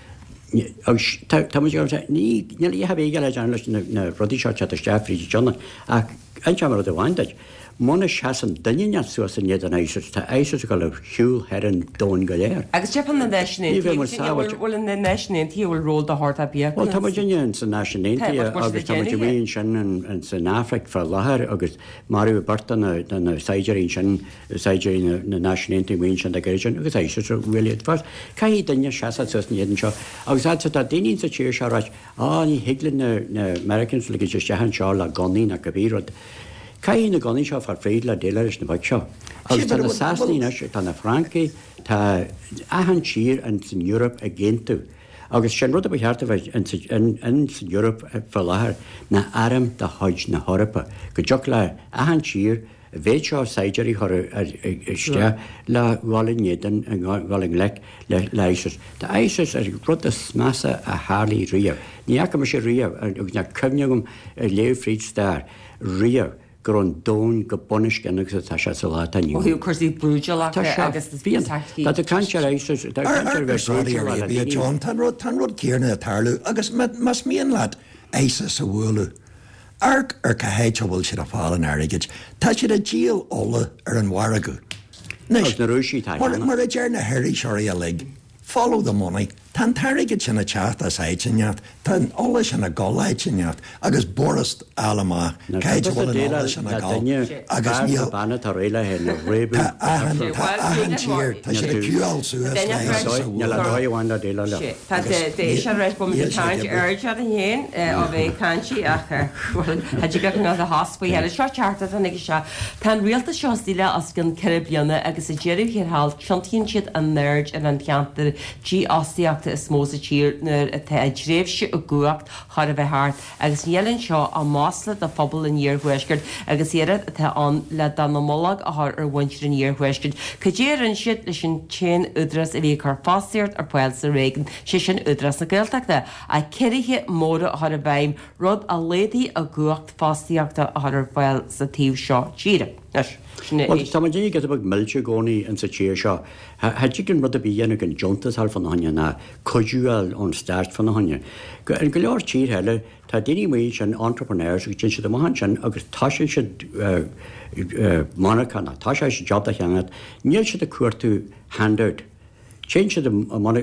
Agus tá muid ag ní níl a bheith le déanamh leis na rudaí seo teacht isteach fríd an tionad ach inseoidh mé rud amháin duit. Muna seasann duine inteacht suas in éadan ISIS, tá ISIS ag dul ar shiúl thar an domhan go léir. Agus deirfeadh na Náisiúin Ní bheidh muid Aontaithe, sábháilte. bhfuil na Náisiúin Aontaithe bhfuil ról de shórt ar bith acu Bhuel tá muid inne sa Náisiún Tá, Aontaithe but bhfuil siad agus ag tá muid déanamh amuigh é? ansin in san Afraic fá láthair agus maraíodh beirt de na de na saighdiúirí ansin, saighdiúirí na Náisiún Aontaithe amuigh ansin ag iarraidh sin agus ISIS a bhuail iad fós. Caithfidh duine seasamh suas in éadan seo agus fhad tá daoine sa tír seo ag ráit á ní thig le na na Americans ligint isteach anseo le gunnaí ná cibé rud. Caithfidh na gunnaí seo fáil fríd le déileáil leis na boic seo. Agus tá na Sasanaigh anois, tá na Francaigh, tá achan tír in san Eoraip ag aontú. Agus sin rud a ba cheart a bheith in in san Eoraip fá láthair ná arm de chuid na hEorpa. Go dtiocfadh le achan tír an mhéid seo saighdiúirí a chur isteach le dhul in éadan, dhul i ngleic le le ISIS. Tá ISIS ar rud is measa a tharlaigh riamh. Ní fhaca mise riamh agus níl cuimhne agam ar léamh fríd stair riamh go raibh an domhan go bunoscionn agus atá sé sa lá atá inniu Ó ann. thaobh cúrsaí brúidiúlachta Tá sé agus fiáin. tacaí. Tá tú ag caint ar ISIS, tá tú ag caint ar bheith Saudi brúidiúil le Arabia, daoine. John, tá an rud tá an rud céanna ag tarlú agus má más mian leat ISIS a bhualadh. Amharc ar cá háit a bhfuil siad ag fáil an airgid, tá siad ag díol ola ar an mhargadh. Agus na Rúisigh tá Mar cheana. mar a deir na hiriseoirí uilig, follow the money. Tá an t-airgead sin ag teacht as áit inteacht, tá an ola sin ag dul áit inteacht, agus b'fhurast a fháil amach Na cá háit a tusa bhfuil an ola déileáil sin le ag dul duine agus fear níl tá bean atá réidh le hé a réabadh Tá achan tá achan tír tá siad ag queueáil suas le ISIS a Níl a bhualadh. dóigh amháin le déileáil leo. Tá sé réis bo Níl sé caint ag ar seo féin ó bheith caintí ach Tá go ná a has faoi eile seo tearta an ag seo. Tá an rialtas seo istigh le os cionn ceithre bliana agus sa deireadh thiar thall tiontaíonn siad a n-aird ar an cheantar dífhostaíochta is mó sa tír nuair atá a dtréimhse i gcumhacht chóir a bheith thart agus níl anseo ach masla do phobal an iarthuaiscirt agus iarracht atá ann le dallamullóg a chur ar mhuintir an iarthuaiscirt. Cad é a rinne siad leis an t-aon údarás a bhí ag cur fostaíocht ar fáil sa réigiún sé sin Údarás na Gaeltachta a ciorruithe móra a chur i bhfeidhm rud a laghdaigh a gcumhacht fostaíochta a chur ar fáil sa taobh seo tíre. Anois, sin é Well, tá muid giota beag millte i gcónaí in sa tír seo. Cha dtig an rud a bí dhéanamh an deontas a fháil fána choinne ná cuidiú a fháil ón stát fána choinne. Go in go leor tír eile tá daoine amuigh sin entrepreneurs agus téann siad amach ansin agus tosaíonn siad uh, uh, monarcha ná tá sé job a cheannach, níl siad ag cuartú handout. Téann siad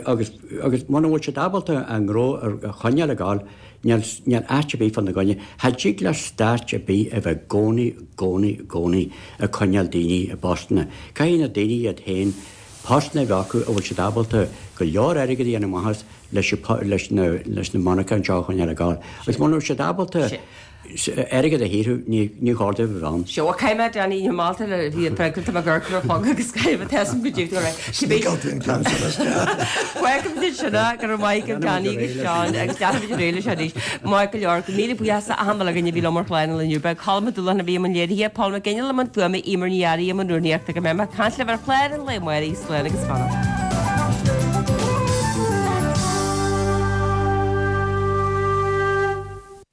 agus agus muna bhfuil siad ábalta an gnó a choinneáil ag gabháil, níl níl áit ar bith fána gcoinne. Cha dtig le stát ar bith a bheith gcónaí gcónaí gcónaí ag coinneáil daoine i bpostanna. Caithfidh na daoine iad féin postanna a bheith acu a bhfuil siad ábalta go leor airgead a dhéanamh amach as leis leis na leis na monarchana seo a choinneáil ag gabháil. Agus muna bhfuil siad ábalta airgead a shaothrú ní ní chóir dóibh a bheith ann. Seo caiime Danny na Malta le bhí an freagra go gur fog agus caiime tesam go dtí Welcome sinna go maith go Danny agus Seán agus leanfaimid ar aghaidh leis arís. Maith go leor go míle buíochas achan duine a bhí liom ar chlár an lae inniu. Beidh Colm Dúlan a bhí i mbun léirithe Paul McGinley i mbun fuaime Emer Ní Fhearraigh i mbun rúnaíochta go mbeidh mé ag caint libh ar chlár an lae amárach slán agus beannacht.